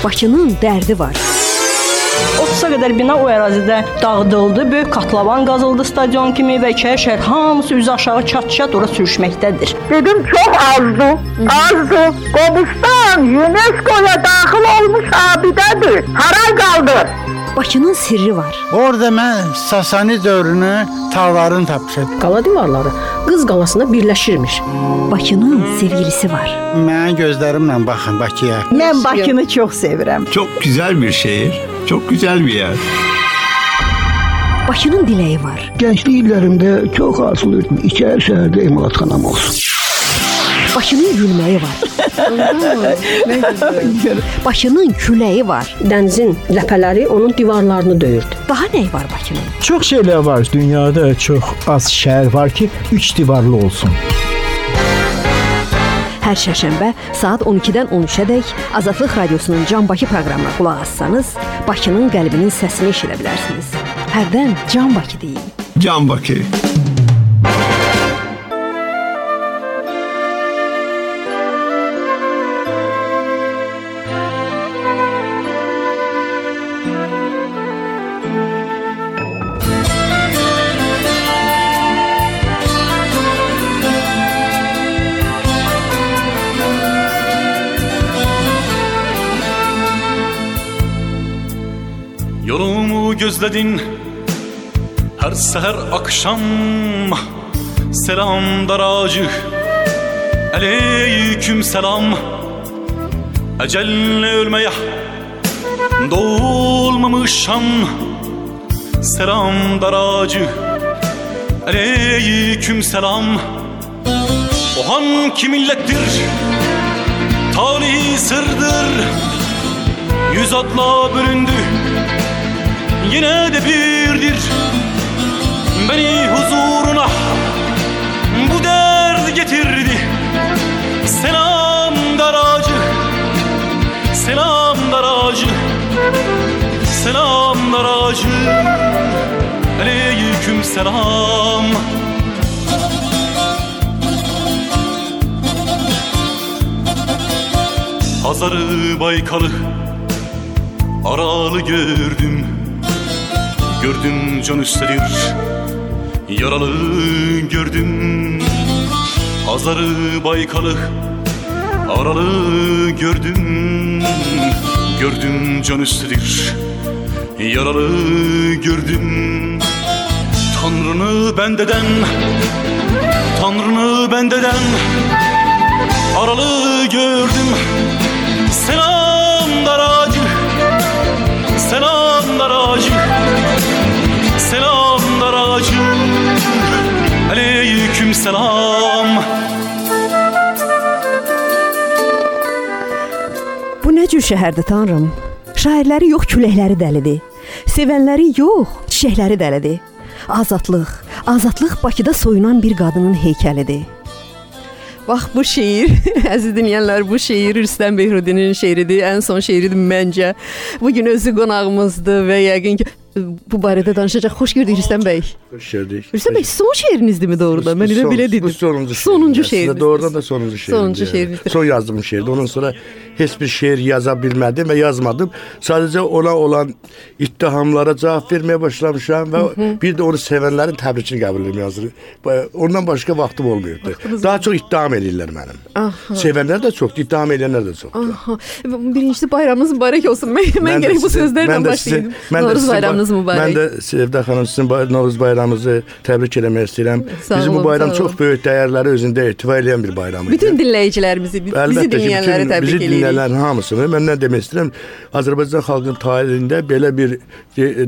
Bakının dərdi var. 30-a qədər bina o ərazidə dağıdıldı. Böyük katlavan qazıldı stadion kimi və şəhər hamısı üzü aşağı çat-çat ora sürüşməkdədir. Dedim çox azdır. Qobustan UNESCO-ya daxil olmuş abidədir. Haray qaldı. Bakının sirri var. Orada mən Sasani dövrünü tağlarını tapmışam. Qala divarları Qız qalasına birləşirmiş. Bakının sevgilisi var. Mən gözlərimlə baxın Bakıya. Mən Bakını çox sevirəm. Çok güzel bir şehir, çok güzel bir yer. Bakının diləyi var. Gənclik illərimdə çox arzulayırdım. İçəri şəhərdə emalatxanam olsun. Bakının gülməyi var. Bakının küləyi var. Dənizin ləpələri onun divarlarını döyürdü. Daha nə var Bakının? Çox şeylər var. Dünyada çox az şəhər var ki, 3 divarlı olsun. Hər şərşənbə saat 12-dən 13-ədək Azadlıq Radiosunun Can Bakı proqramına qulaq assanız, Bakının qəlbinin səsini eşidə bilərsiniz. Hərdən Can Bakı deyin. Can Bakı. Yolumu gözledin her seher akşam. Selam daracı, aleyküm selam. Ecelle ölmeye dolmamışam. Selam daracı, aleyküm selam. O hangi millettir, tarihi sırdır. 100 adla bölündü, yine de birdir. Beni huzuruna bu dert getirdi. Selam daracı, selam daracı, selam daracı, aleyküm selam. Hazarı Baykal'ı aralı gördüm. Gördüm can üstelir, yaralı gördüm. Hazarı Baykal'ı aralı gördüm. Gördüm can üstelir, yaralı gördüm. Tanrını bendeden, Tanrını bendeden aralı gördüm. Selam daracı, selam daracı, selam daracı, aleyküm selam. Bu nə cür şəhərdir Tanrım? Şairləri yox, küləkləri dəlidir. Sevənləri yox, çiçəkləri dəlidir. Azadlıq, azadlıq Bakıda soyunan bir qadının heykəlidir. Bax bu şeir, əziz dinləyənlər, bu şeir Rüstəm Behrudinin şeiridir, ən son şeiridir məncə. Bugün özü qonağımızdır və yəqin ki bu barədə danışacaq. Xoş gördük Rüstəm bəy. Xoş gördük. Rüstəm bəy, son şeirinizdir mi doğrudan? Mən elə belə dedim. Bu sonuncu şeirinizdir. Doğrudan da sonuncu şeirinizdir. Son yazdığım şeirdir. Ondan sonra heç bir şeir yaza bilmədim və yazmadım. Sadəcə ona olan ittihamlara cavab verməyə başlamışam və bir də onu sevənlərin təbrikini qəbul etmə yazırım. Ondan başqa vaxtım olmuyordu. Daha çox ittiham edirlər mənim. Sevənlər də çoxdur, ittiham edənlər də çoxdur. Birincisi bayramınız mübarək olsun. Mən gərək bu sözlərlə başlayayım. Novruz bayramınız mübarək. Mən də Sevda xanım sizin Novruz bayramınızı təbrik eləmək istəyirəm. Bizim bu bayram çox böyük dəyərləri özündə ehtiva edən bir bayramdır. Bütün dinləyicilərimizi, bizi dinləyənləri təbrik edirik. Hamısını məndən demək istəyirəm, Azərbaycan xalqının tarixində belə bir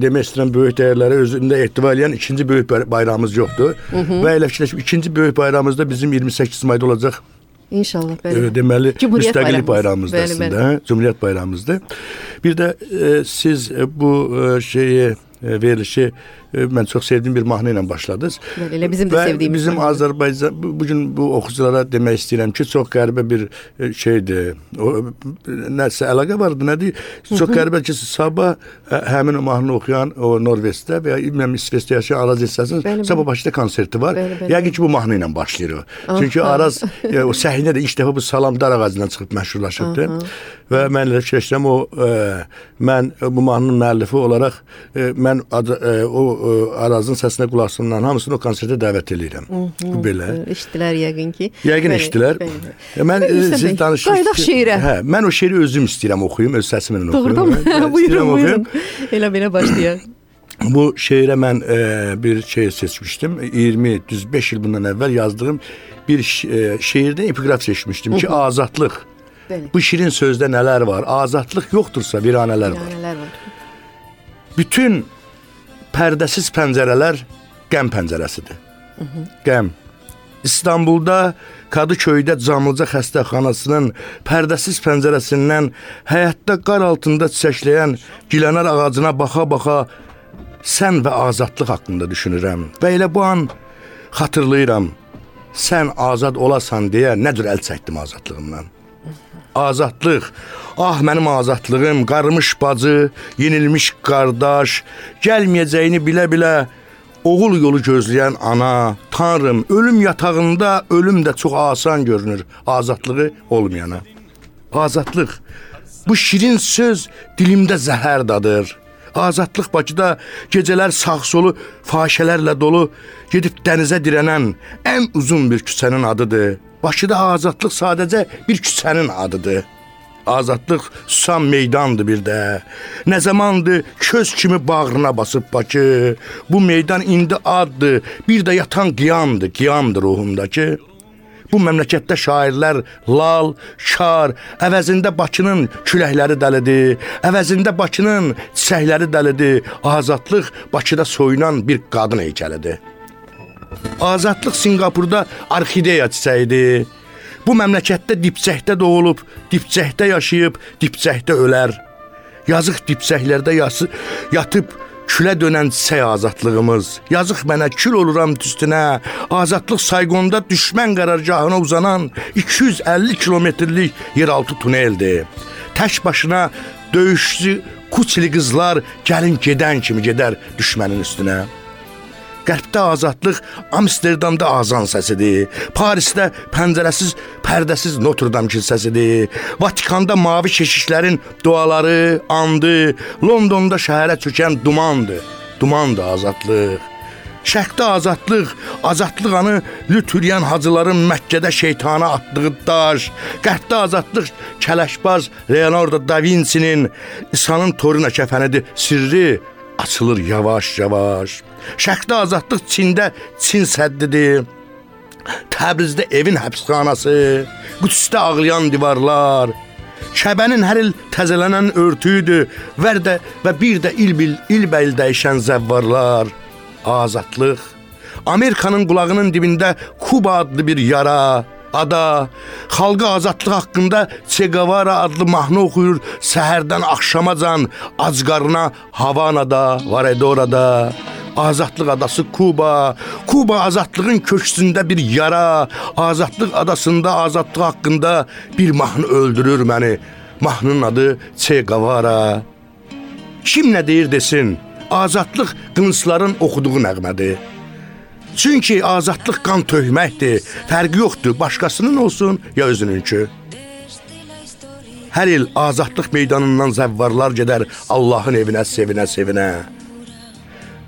demək istəyirəm böyük dəyərləri özündə ehtiva edən ikinci böyük bayramımız yoxdur. Və elə fikirləşib ikinci böyük bayramımız da bizim 28 mayda olacaq. İnşallah, bəli. Deməli, müstəqillik bayramımızdır əslində, Cumhuriyyət bayramımızdır. Bir də siz bu verilişi mən çox sevdiyim bir mahnı ilə başladınız. Elə bizim də sevdiyimiz. Bizim Azərbaycan bugün bu oxuculara demək istəyirəm ki, çox qəribə bir şeydir. O nəsə əlaqə vardı, nədir? Çox qəribə ki, sabah həmin o mahnı oxuyan o Norveçdə və ya İmam İsveçdə yaşayan Araz etsəsiniz, sabah Bakıda konserti var. Yəqin ki, bu mahnı ilə başlayır o. Çünki Araz o səhnədə ilk dəfə bu Salamdar ağacından çıxıb məşhurlaşıbdı. Və mən elə fikirləşirəm mən bu mahnının müəllifi olaraq mən o Arazın səsinə qulaq asanların hamısını o konsertə dəvət edirəm. Bu belə. İşdilər yəqin ki. Yəqin işdilər. Mən siz danışırsınız. Qaydaq şeirə. Hə, mən o şeiri özüm istəyirəm oxuyum, öz səsimlə oxuyum. Doğrudan. Buyurun. Elə belə başlayaq. Bu şeirə mən bir şey seçmişdim. 25 il bundan əvvəl yazdığım bir şeirdə epiqraf seçmişdim ki, azadlıq. Bu şirin sözdə nələr var? Azadlıq yoxdursa viranələr var. Bütün pərdəsiz pəncərələr qəm pəncərəsidir. Qəm. İstanbulda Kadıköydə Camlıca xəstəxanasının pərdəsiz pəncərəsindən həyətdə qar altında çiçəkləyən gilənar ağacına baxa-baxa sən və azadlıq haqqında düşünürəm. Və elə bu an xatırlayıram, sən azad olasan deyə nə cür əl çəkdim azadlığımdan. Azadlıq, ah mənim azadlığım, qarmış bacı, yenilmiş qardaş, gəlməyəcəyini bilə-bilə oğul yolu gözləyən ana, Tanrım, ölüm yatağında ölüm də çox asan görünür azadlığı olmayana. Azadlıq, bu şirin söz dilimdə zəhər dadır. Azadlıq Bakıda gecələr sağ-solu fahişələrlə dolu, gedib dənizə dirənən ən uzun bir küçənin adıdır. Bakıda azadlıq sadəcə bir küçənin adıdır. Azadlıq susam meydandır bir də. Nə zamandır köz kimi bağrına basıb Bakı. Bu meydan indi addır, bir də yatan qiyamdır ruhumdakı. Bu məmləkətdə şairlər lal, şar, əvəzində Bakının küləkləri dəlidir, əvəzində Bakının çiçəkləri dəlidir. Azadlıq Bakıda soyunan bir qadın heykəlidir. Azadlıq Singapurda orxideya çiçəyidir. Bu məmləkətdə dipçəkdə doğulub, dipçəkdə yaşayıb, dipçəkdə ölər. Yazıq dipçəklərdə yatıb külə dönən çiçək azadlığımız. Yazıq mənə kül oluram üstünə. Azadlıq Sayqonda düşmən qərargahına uzanan 250 kilometrlik yeraltı tuneldir. Tək başına döyüşçü Kuçili qızlar gəlin gedən kimi gedər düşmənin üstünə. Qərbdə azadlıq Amsterdamda azan səsidir. Parisdə pəncərəsiz, pərdəsiz Notre Dame kilsəsidir. Vatikanda mavi keşişlərin duaları, andı. Londonda şəhərə çökən dumandır. Dumandır azadlıq. Şərqdə azadlıq, azadlıq anı lütüriyən hacıların Məkkədə şeytana atdığı daş. Qərbdə azadlıq kələşbaz Leonardo da Vinci'nin İsa'nın Torino kəfənidir. Sirri açılır yavaş-yavaş. Şərqdə azadlıq Çində Çin səddidir. Təbrizdə evin həbsxanası, Qüdsdə ağlayan divarlar, Şəbənin hər il təzələnən örtüydü və bir də ilbəil dəyişən zəvvarlar. Azadlıq, Amerikanın qulağının dibində Kuba adlı bir yara, ada, xalqı azadlıq haqqında Che Guevara adlı mahnı oxuyur səhərdən axşamacan ac qarına Havanada, Varedorada. Azadlıq adası Kuba, Kuba azadlığın köksündə bir yara, Azadlıq adasında azadlıq haqqında bir mahnı öldürür məni. Mahnının adı Che Guevara. Kim nə deyir desin, azadlıq qılıncların oxuduğu nəğmədir. Çünki azadlıq qan töhməkdir, fərqi yoxdur, başqasının olsun ya özününkü. Hər il azadlıq meydanından zəvvarlar gedər Allahın evinə, sevinə.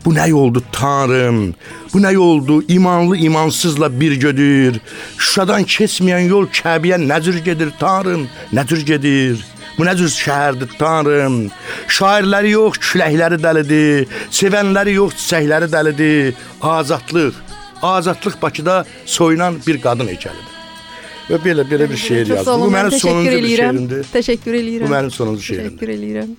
Bu nə yoldu Tanrım, bu nə yoldu imanlı imansızla bir gödür. Şuşadan keçməyən yol Kəbəyə nə cür gedir Tanrım, nə cür gedir. Bu nə cür şəhərdir Tanrım. Şairləri yox, küləkləri dəlidir. Sevənləri yox, çiçəkləri dəlidir. Azadlıq, azadlıq Bakıda soyunan bir qadın heykəlidir. Və belə bir şeir yazdım. Bu mənim sonuncu bir şeirimdir. Təşəkkür eləyirəm. Bu mənim sonuncu şeirimdir. Təşəkkür eləyirəm.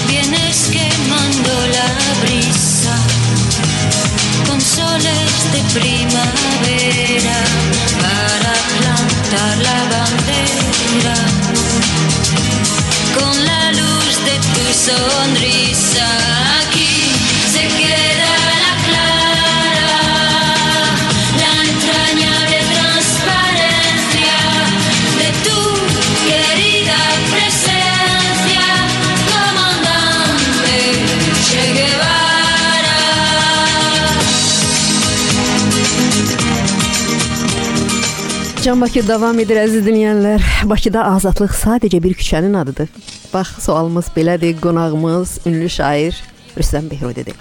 Vienes quemando la brisa con soles de primavera para plantar la bandera con la sonrisa. Aquí se queda la clara, la entrañable transparencia de tu querida presencia, comandante Che Guevara. Can Bakı davam edir əziz dinləyənlər. Bakıda azadlıq sadəcə bir küçənin adıdır. Bax, sualımız belədir. Qonağımız ünlü şair Rüstəm Behroedidir.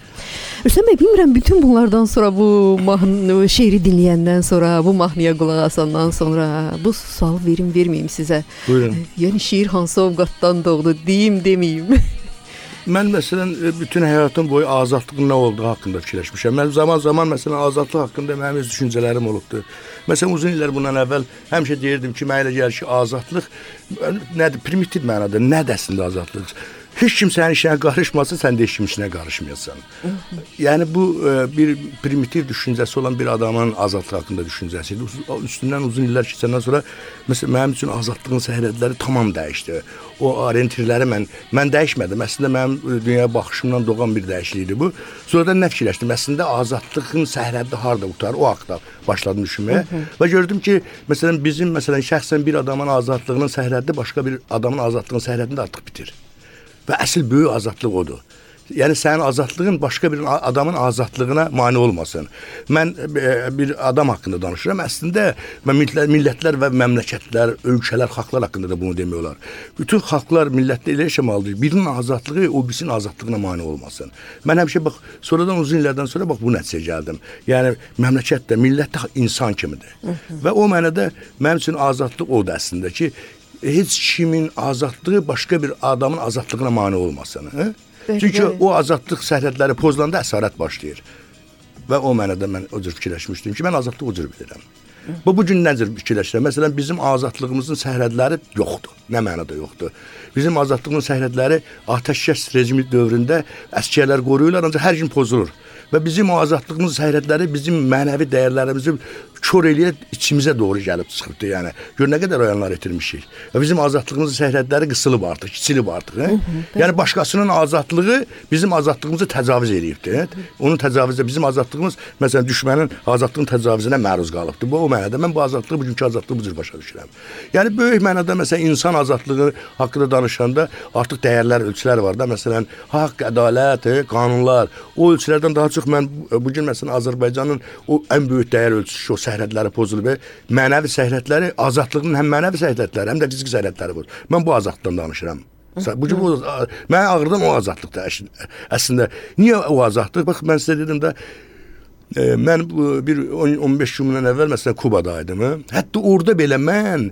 Rüstəm bəy, bilmirəm bütün bunlardan sonra bu şeiri dinləyəndən sonra, bu mahnıya qulaq asandan sonra bu sualı verməyim sizə. Buyurun. Yəni şeir hansı ovqatdan doğdu, deyim, deməyim. Mən məsələn bütün həyatım boyu azadlığın nə olduğu haqqında fikirləşmişəm. Mən zaman məsələn azadlıq haqqında mənim öz düşüncələrim olubdu. Məsələn uzun illər bundan əvvəl həmişə deyirdim ki, mənə elə gəlir ki, azadlıq nədir? Primitiv mənada nədəsində azadlıq? Heç kim sənin işinə qarışmasa, sən də heç kim işinə qarışmayasan. Yəni bu bir primitiv düşüncəsi olan bir adamın azadlıq haqqında düşüncəsidir. Üstündən uzun illər keçəndən sonra məsələn mənim üçün azadlığın sərhədləri tamam dəyişdi. O orientirləri mən dəyişmədim. Əslində mənim dünyaya baxışımdan doğan bir dəyişiklikdir bu. Sonradan nə fikirləşdim? Əslində azadlığın sərhədi harda qutar? O haqda başladım düşünməyə və gördüm ki, məsələn bizim şəxsən bir adamın azadlığının sərhədi başqa bir adamın azadlığının sərhədində artıq bitir. Və əsl böyük azadlıq odur. Yəni sənin azadlığın başqa bir adamın azadlığına mane olmasın. Mən bir adam haqqında danışıram. Əslində mən millətlər və məmləkətlər, ölkələr, xalqlar haqqında da bunu demək olar. Bütün xalqlar, millətlər elə yaşamalıdır. Birinin azadlığı o birisinin azadlığına mane olmasın. Mən həmişə bax, sonradan uzun illərdən sonra bax bu nəticəyə gəldim. Yəni məmləkət də, millət də insan kimidir. Və o mənada mənim üçün azadlıq odur əslində ki, heç kimin azadlığı başqa bir adamın azadlığına mane olmasın. Çünki o azadlıq sərhədləri pozulanda əsarət başlayır. Və o mənada mən o cür fikirləşmişdim ki, mən azadlığı o cür bilirəm. Bu gün nə cür fikirləşirəm? Məsələn, bizim azadlığımızın sərhədləri yoxdur. Nə mənada yoxdur? Bizim azadlığımızın sərhədləri atəşkəs rejimi dövründə əsgərlər qoruyurlar, ancaq hər gün pozulur. Və bizim o azadlığımızın sərhədləri bizim mənəvi dəyərlərimizi kör eləyib içimizə doğru gəlib çıxıbdı. Yəni gör nə qədər oyanlar itirmişik. Və bizim azadlığımızın sərhədləri qısılıb artıq, kiçilib artıq. Yəni başqasının azadlığı bizim azadlığımızı təcavüz eləyibdi. Onun təcavüzü bizim azadlığımız məsələn düşmənin azadlığının təcavüzünə məruz qalıbdı. Bu o mənada mən bu azadlığı bugünkü azadlığı bu cür başa düşürəm. Yəni böyük mənada məsələn insan azadlığı haqqında danışanda artıq dəyərlər, ölçülər var da. Məsələn haqq, ədalət, qanunlar. O ölçülərdən daha çox mən bugün məsələn Azərbaycanın o ən böyük dəyər ölçüsü o sərhədləri pozulub. Mənəvi sərhədləri, azadlığın həm mənəvi sərhədləri, həm də fiziki sərhədləri var. Mən bu azadlıqdan danışıram. Bugün mən ağırdan o azadlıqda əslində. Niyə o azadlıq? Bax mən sizə dedim də mən bir 10-15 gündən əvvəl məsələn Kubadaydım. Hətta orada belə mən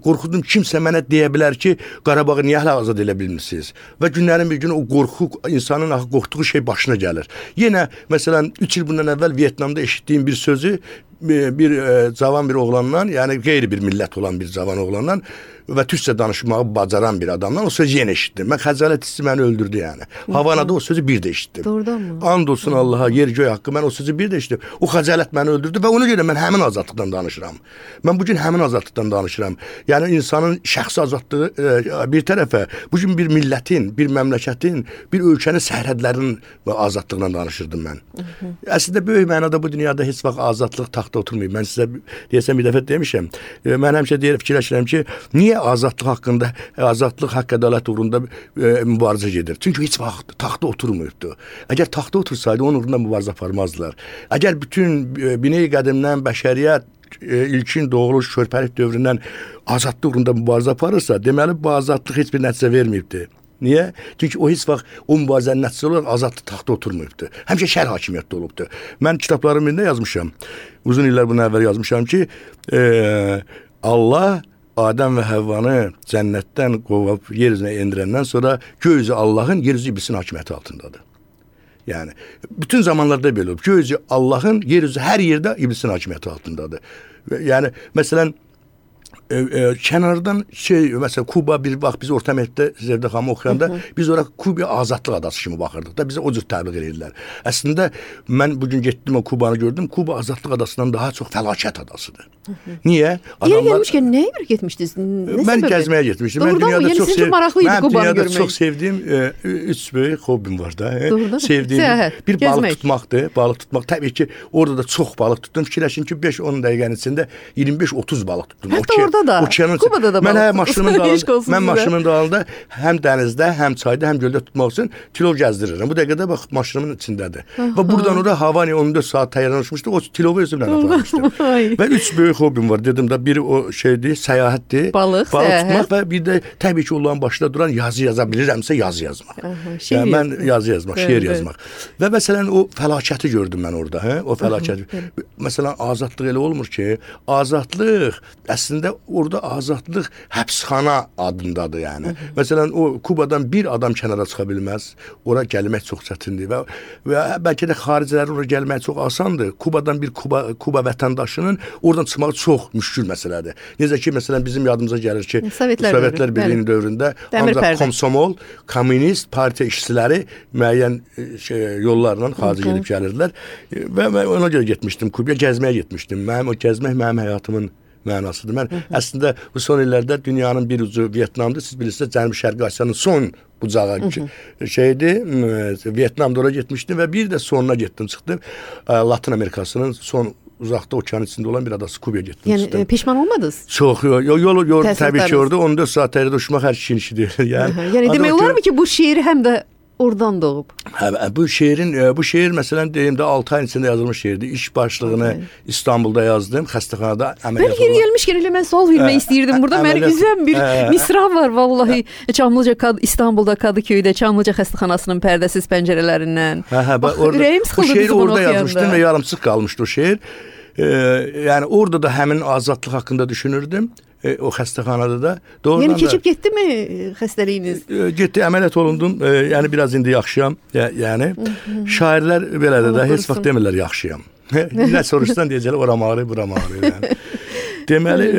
qorxurdum kimsə mənə deyə bilər ki, Qarabağı niyə hələ azad edə bilmirsiniz? Və günlərin bir gün o qorxu insanın qorxduğu şey başına gəlir. Yenə məsələn 3 il bundan əvvəl Vyetnamda eşitdiyim bir sözü bir cavan bir oğlandan, yəni qeyri bir millət olan bir cavan oğlandan və türkçə danışmağı bacaran bir adamdan o sözü yenə eşitdim. Mən xəcalət hissi məni öldürdü yəni. Havanada o sözü bir də eşitdim. Doğrudanmı? And olsun Allaha, yer göy haqqı mən o sözü bir də eşitdim. O xəcalət məni öldürdü və ona görə mən həmin azadlıqdan danışıram. Mən bugün həmin azadlıqdan danışıram. Yəni insanın şəxsi azadlığı bir tərəfə, bugün bir millətin, bir məmləkətin, bir ölkənin sərhədlərinin azadlığından danışırdım mən. Əslində böyük mənada bu dünyada heç vaxt azadlıq taxta oturmayıb. Mən sizə deyəsəm bir dəfə demişəm. Mən həmişə fikirləşirəm ki, niyə azadlıq haqqında, azadlıq haqq ədalət uğrunda mübarizə gedir? Çünki heç vaxt taxta oturmuyubdu. Əgər taxta otursaydı, onun uğrunda mübarizə aparmazdılar. Əgər bütün bine-i qədimdən bəşəriyyət ilkin doğuluş körpəlik dövründən azadlıq uğrunda mübarizə aparırsa, deməli bu azadlıq heç bir nəticə verməyibdi. Niyə? Çünki o heç vaxt o mübarizənin nəticəsi olaraq azadlıq taxta oturmuyubdu. Həmişə şər hakimiyyətdə olubdu. Mən kitablarım birində yazmışam. Uzun illər bundan əvvəl yazmışam ki, Allah Adəm və Həvvanı cənnətdən qovub yer üzünə endirəndən sonra göy üzü Allahın, yer üzü iblisin hakimiyyəti altındadır. Yəni bütün zamanlarda belə olub. Göy üzü Allahın, yer üzü hər yerdə iblisin hakimiyyəti altındadır. Yəni məsələn kənardan məsələn Kuba bir vaxt biz orta məktəbdə Zevdə xanım oxuyanda biz ora Kuba azadlıq adası kimi baxırdıq da bizə o cür təbliğ edirdilər. Əslində mən bu gün getdim o Kubanı gördüm. Kuba azadlıq adasından daha çox fəlakət adasıdır. Niyə? Yeri gəlmişkən nəyə görə getmişdiniz? Mən gəzməyə getmişdim. Mən dünyada çox sevdiyim 3 böyük hobbim var da. Sevdiyim bir balıq tutmaqdır. Balıq tutmaq. Təbii ki, orada da çox balıq tutdum. Fikirləşin ki, 5-10 dəqiqənin içində 25-30 balıq tutdum. Hətta orada da, Kubada da balıq tutdum. Mən maşınımın dalında həm dənizdə, həm çayda, həm göldə tutmaq üçün tilov gəzdirirəm. Bu dəqiqədə bax maşınımın içindədir. Və buradan ora Havani 14 saat təyyarən uçmuşdu. O tilovu özümlə aparmışdım. Və 3 böyük hobbim var. Dedim də biri o şeydir, səyahətdir. Balıq tutmaq və bir də təbii ki, onların başında duran yazı yaza bilirəmsə yazı yazmaq. Yəni mən yazı yazmaq, şeir yazmaq. Və məsələn o fəlakəti gördüm mən orada, o fəlakəti. Məsələn azadlıq elə olmur ki, azadlıq əslində orada azadlıq həbsxana adındadır yəni. Məsələn o Kubadan bir adam kənara çıxa bilməz. Ora gəlmək çox çətindir və bəlkə də xaricilərin ora gəlmək çox asandır. Kubadan bir Kuba vətəndaşının oradan çıxmağı çox müşkül məsələdir. Necə ki, məsələn bizim yadımıza gəlir ki, Sovetlər Birliyinin dövründə ancaq komsomol, kommunist partiya işçiləri müəyyən yollarla xarici gedib gəlirdilər və ona görə getmişdim Kubaya, gəzməyə getmişdim. Mənim o gəzmək mənim həyatımın mənasıdır. Mən əslində bu son illərdə dünyanın bir ucu Vyetnamdır. Siz bilirsiniz, Cənubi-Şərqi Asiyanın son bucağı Vyetnamda ora getmişdim və bir də sonuna getdim, çıxdım. Latin Amerikasının son uzaqda okeanın içində olan bir adası Kubaya getdim. Yəni peşman olmadınız? Çox, yol təbii ki orada 14 saat tərədə uçmaq hər şeyin işidir. Yəni demək olar mı ki, bu şeiri həm də oradan doğub? Bu şeir məsələn deyim də 6 ayın içində yazılmış şeirdir. İş başlığını İstanbulda yazdım, xəstəxanada əməliyyat olundu. Mən yeri gəlmişkən elə mən sual vermək istəyirdim. Burada mənim üzəm bir misra var vallahi. Çamlıca İstanbulda Kadıköydə Çamlıca xəstəxanasının pərdəsiz pəncərələrindən. Ürəyim sıxıldı. Bu şeiri orada yazmışdım və yarımçıq qalmışdı o şeir. Yəni orada da həmin azadlıq haqqında düşünürdüm. O xəstəxanada da. Yəni keçib getdimi xəstəliyiniz? Getdi, əməliyyat olundum. Yəni biraz indi yaxşıyam. Yəni şairlər belədir də, heç vaxt demirlər yaxşıyam. Nə soruşsan deyəcəklər oram ağrı, buram ağrı. Yəni. Deməli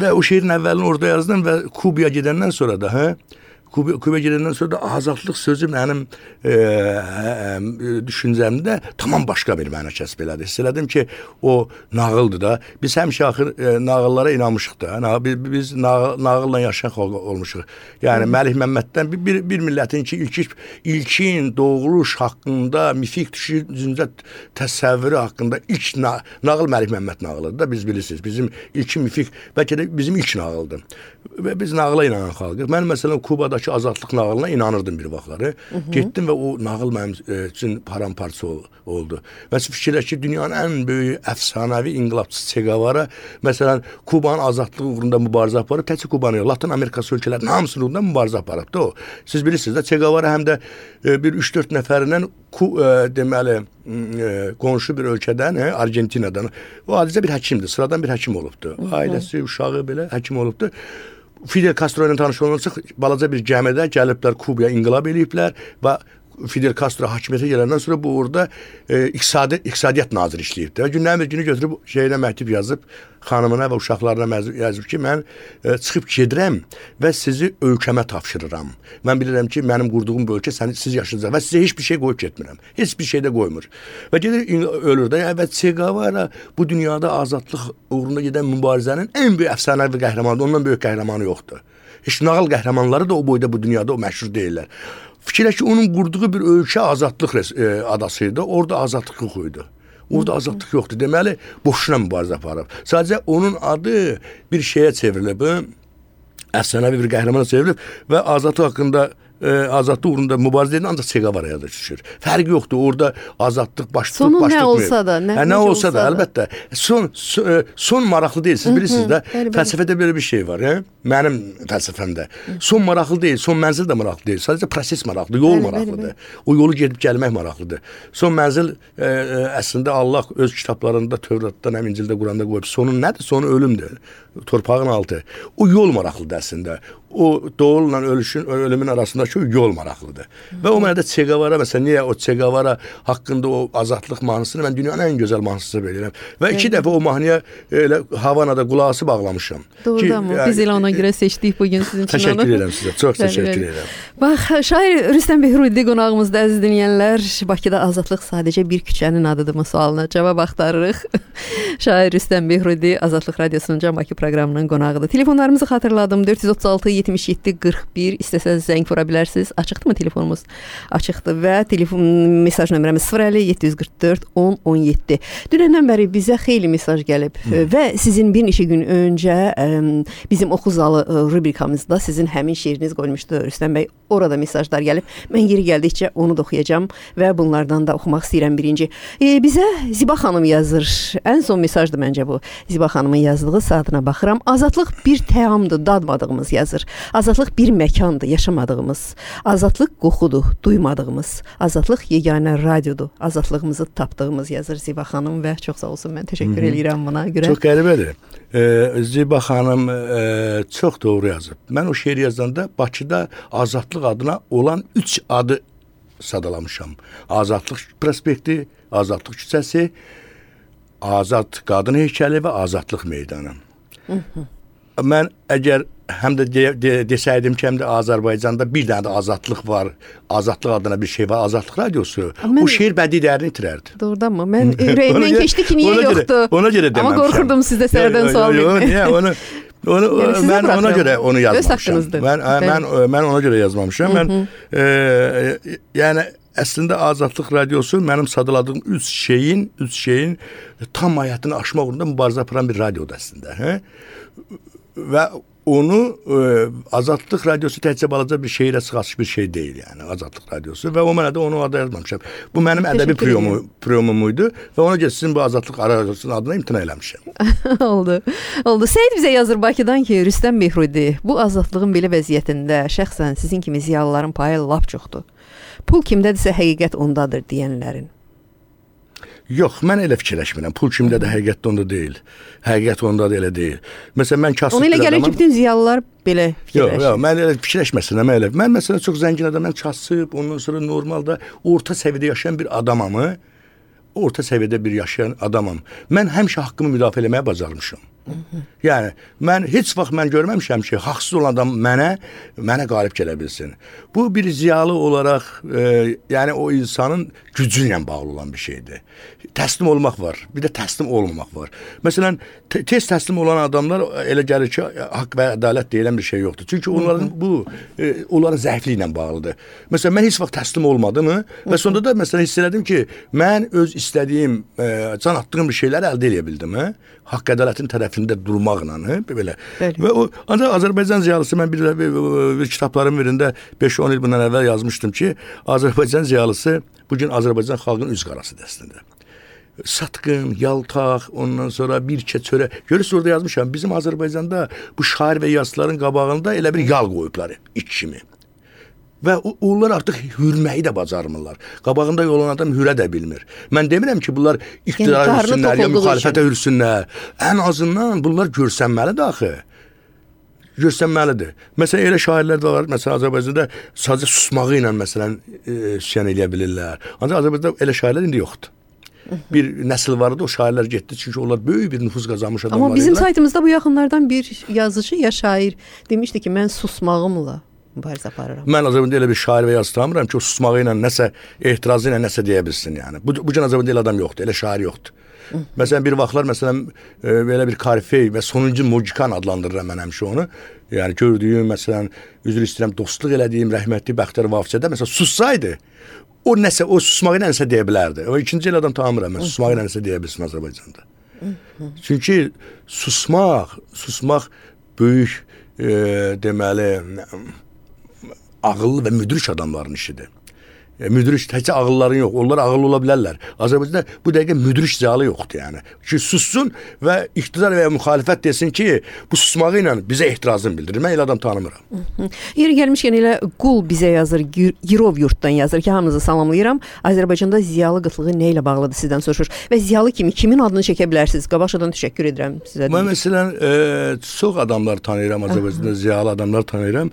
və o şeirin əvvəlini orada yazdım və Kubaya gedəndən sonra da, Kubaya gedəndən sonra da azadlıq sözü mənim düşüncəmdə tamam başqa bir məna kəsb elədi. Hiss elədim ki, o nağıldır da. Biz həmişə axır nağıllara inanmışıq da. Biz nağılla yaşayan xalq olmuşuq. Yəni Məlik Məmməddən bir millətin ki, ilkin doğuluş haqqında, mifik düşüncə təsəvvürü haqqında ilk nağıl Məlik Məmməd nağılıdır da, biz bilirsiniz. Bizim ilkin mifik, bəlkə də bizim ilk nağıldır. Və biz nağıla inanan xalqıq. Mən məsələn Kubadakı azadlıq nağılına inanırdım bir vaxtları. Getdim və o nağıl mənim üçün paramparça oldu. Məsələn fikirləş ki, dünyanın ən böyük əfsanəvi inqilabçısı Che Guevara məsələn Kubanın azadlığı uğrunda mübarizə aparıb, təkcə Kubanı yox, Latin Amerikası ölkələrinin hamısının uğrunda mübarizə aparıbdı o. Siz bilirsiniz də Che Guevara həm də bir 3-4 nəfərindən deməli qonşu bir ölkədən, Argentinadan. O adicə bir həkimdir, sıradan bir həkim olubdu. Ailəsi, uşağı belə həkim olubdu. Fidel Castro ilə tanış olunca balaca bir gəmidə gəliblər Kubaya inqilab eləyiblər və Fidel Castro hakimiyyətə gələndən sonra bu orada iqtisadiyyat naziri işləyibdi. Və gündən bir günü götürüb şeyinə məktub yazıb, xanımına və uşaqlarına yazıb ki, mən çıxıb gedirəm və sizi ölkəmə tapşırıram. Mən bilirəm ki, mənim qurduğum bu ölkə siz yaşayacaq və sizə heç bir şey qoyub getmirəm. Heç bir şey də qoymur. Və gedir ölür də. Və Che Guevara bu dünyada azadlıq uğrunda gedən mübarizənin ən böyük əfsanəvi qəhrəmanıdır. Ondan böyük qəhrəmanı yoxdur. Heç nağıl qəhrəmanları da o boyda bu dünyada o məşhur deyirlər. Fikirləş ki, onun qurduğu bir ölkə azadlıq adasıydı. Orada azadlıq yox idi. Orada azadlıq yoxdur. Deməli, boşuna mübarizə aparıb. Sadəcə onun adı bir şeyə çevrilib, əfsanəvi bir qəhrəmana çevrilib və azadlıq haqqında azadlıq uğrunda mübarizə edən ancaq Che Guevara'ya da düşür. Fərqi yoxdur. Orada azadlıq baş tutmur. Sonu nə olsa da, nə olsa da, əlbəttə. Son maraqlı deyil. Siz bilirsiniz də, fəlsəfədə belə bir şey var. Mənim fəlsəfəmdə. Son maraqlı deyil, son mənzil də maraqlı deyil. Sadəcə proses maraqlı, yol maraqlıdır. O yolu gedib gəlmək maraqlıdır. Son mənzil əslində Allah öz kitablarında, Tövratda, İncildə, Quranda qoyub. Sonu nədir? Sonu ölümdür. Torpağın altı. O yol maraqlıdır əslində. o doğulla ölümün arasındakı yol maraqlıdır. Və o mənə də Che Guevara, məsələn, niyə o Che Guevara haqqında o azadlıq mahnısını mən dünyanın ən gözəl mahnısı bilirəm. Və 2 dəfə o mahnıya elə Havanada qulağısı bağlamışam. Doğrudanmı? Biz elə ona görə seçdik bugün sizin üçün onu. Təşəkkür edirəm sizə. Çox təşəkkür edirəm. Bax, şair Rüstəm Behrudi qonağımızda, əziz dinləyənlər. Bakıda azadlıq sadəcə bir küçənin adıdırmı sualına cavab axtarırıq. Şair Rüstəm Behrudi Azadlıq Radiosunun Can Bakı proqramının qonağıdır. Telefonlarımızı xatırladım. 436 77 41 istəsəz zəng vura bilərsiniz. Açıqdırmı telefonumuz? Açıqdır və telefon mesaj nömrəmiz 050 744 10 17. Dünəndən bəri bizə xeyli mesaj gəlib və sizin bir neçə gün öncə bizim oxu zalı rubrikamızda sizin həmin şeiriniz qoyulmuşdu Rüstəm bəy. Orada mesajlar gəlib. Mən yeri gəldikcə onu da oxuyacağam və bunlardan da oxumaq istəyirəm birinci. Bizə Ziba xanım yazır. Ən son mesajdır məncə bu. Ziba xanımın yazdığı saatına baxıram. Azadlıq bir təamdır, dadmadığımız yazır. Azadlıq bir məkandır, yaşamadığımız. Azadlıq qoxudur, duymadığımız. Azadlıq yeganə radiodur, azadlığımızı tapdığımız yazır Ziba xanım və çox sağ olsun, mən təşəkkür edirəm buna görə. Çox qəribədir. Ziba xanım çox doğru yazıb. Mən o şeir yazanda Bakıda azadlıq adına olan 3 adı sadalamışam. Azadlıq prospekti, Azadlıq küçəsi, Azad qadın heykəli və Azadlıq meydanı. Mən əgər həm də desəydim ki, həm də Azərbaycanda bir dənə də azadlıq var, azadlıq adına bir şey var, Azadlıq radiosu, o şeir bədii dəyərini itirərdi. Doğrudanmı? Mən ürəyimdən keçdi ki, niyə yoxdur? Ona görə deməmişəm. Amma qorxurdum sizdə sərdən sual vermək. Mən ona görə onu yazmamışam. Mən ona görə yazmamışam. Yəni əslində Azadlıq radiosu mənim sadaladığım 3 şeyin tam mahiyyətini aşmaq uğrunda mübarizə aparan bir radiodur əslində. Və onu Azadlıq radiosu təkcə balaca bir şeirə sıxaçıq bir şey deyil, yəni Azadlıq radiosu və o mənə də onu adı yazmamışam. Bu mənim ədəbi priyomumuydu və ona görə sizin bu Azadlıq radiosunun adına imtina eləmişəm. Oldu. Seyid bizə yazır Bakıdan ki, Rüstəm Behrudi, bu azadlığın belə vəziyyətində şəxsən sizin kimi ziyalıların payı lap çoxdur. Pul kimdədirsə həqiqət ondadır deyənlərin. Yox, mən elə fikirləşmirəm. Pul kimdədir, həqiqət onda deyil. Həqiqət onda da elə deyil. Məsələn, mən kasıb ona elə gəlir ki, bütün ziyalılar belə fikirləşir. Yox, mən elə fikirləşməsinəm elə. Mən məsələn çox zəngin adam, mən kasıb, ondan sonra normalda orta səviyyədə yaşayan bir adamam. Orta səviyyədə bir yaşayan adamam. Mən həmişə haqqımı müdafiə etməyə bacarmışam. Yəni, mən heç vaxt görməmişəm ki, haqsız olan adam mənə qalib gələ bilsin. Bu bir ziyalı olaraq, yəni o insanın gücü ilə bağlı olan bir şeydir. Təslim olmaq var, bir də təslim olmamaq var. Məsələn, tez təslim olan adamlar elə gəlir ki, haqq və ədalət deyilən bir şey yoxdur. Çünki onların zəifliyi ilə bağlıdır. Məsələn, mən heç vaxt təslim olmadım və sonunda da məsələn hiss elədim ki, mən öz istədiyim, can attığım bir şeyləri əldə edə bildim. Haqq ədalətin tərəfində durmaqla, belə. Və ancaq Azərbaycan ziyalısı, mən bir kitablarım birində 5-10 il bundan əvvəl yazmışdım ki, Azərbaycan ziyalısı bugün Azərbaycan xalqının üz qarasıdır əslində. Satqın, yaltaq, ondan sonra bir çörə. Görürsünüz, orada yazmışam, bizim Azərbaycanda bu şair və yazıçıların qabağında elə bir yal qoyublar, iç kimi. Və onlar artıq hürməyi də bacarmırlar. Qabağında olan adam hürə də bilmir. Mən demirəm ki, bunlar iqtidara hürsünlər, ya müxalifətə hürsünlər. Ən azından bunlar görsənməlidir axı. Görsənməlidir. Məsələn, elə şairlər də var, məsələn, Azərbaycanda sadəcə susmağı ilə, məsələn, üsyan edə bilirlər. Ancaq Azərbaycanda elə şairlər indi yoxdur. Bir nəsil vardı, o şairlər getdi, çünki onlar böyük bir nüfuz qazanmış adamlar. Amma bizim saytımızda bu yaxınlardan bir yazıcı ya şair demişdi ki, mən susmağımla mübarizə aparıram. Mən Azərbaycanda elə bir şair və yazı tanımıram ki, o susmağı ilə nəsə, etirazı ilə nəsə deyə bilsin, yəni. Bu cür Azərbaycanda elə adam yoxdur, elə şair yoxdur. Məsələn, bir vaxtlar, məsələn, belə bir Karifey və sonuncu Mojikan adlandırıram mən həmişə onu. Yəni, gördüyüm, məsələn, üzr istəyirəm, dostluq elədiyim rəhmətli Bəxtiyar Vahabzadə, məsələn, sussaydı, o nəsə, o susmağı ilə nəsə deyə bilərdi. O ikinci el adam tanımıram mən, susmağı ilə nəsə deyə bilsin Azərbaycanda. Çünki susmaq böyük, deməli, ağıllı və müdrik adamların işidir. Müdrik təkcə ağılların yox, onlar ağıllı ola bilərlər. Azərbaycanda bu dəqiqə müdrik ziyalı yoxdur yəni. Ki sussun və iqtidar və ya müxalifət desin ki, bu susmağı ilə bizə etirazını bildirir. Mən elə adam tanımıram. Yeri gəlmişkən elə Qul bizə yazır, Girov yurtdan yazır ki, hamınızı salamlayıram. Azərbaycanda ziyalı qıtlığı nə ilə bağlıdır sizdən soruşur və ziyalı kimin adını çəkə bilərsiniz? Qabaqcadan təşəkkür edirəm sizə. Mən məsələn çox adamlar tanıyıram Azərbaycanda, ziyalı adamlar tanıyıram.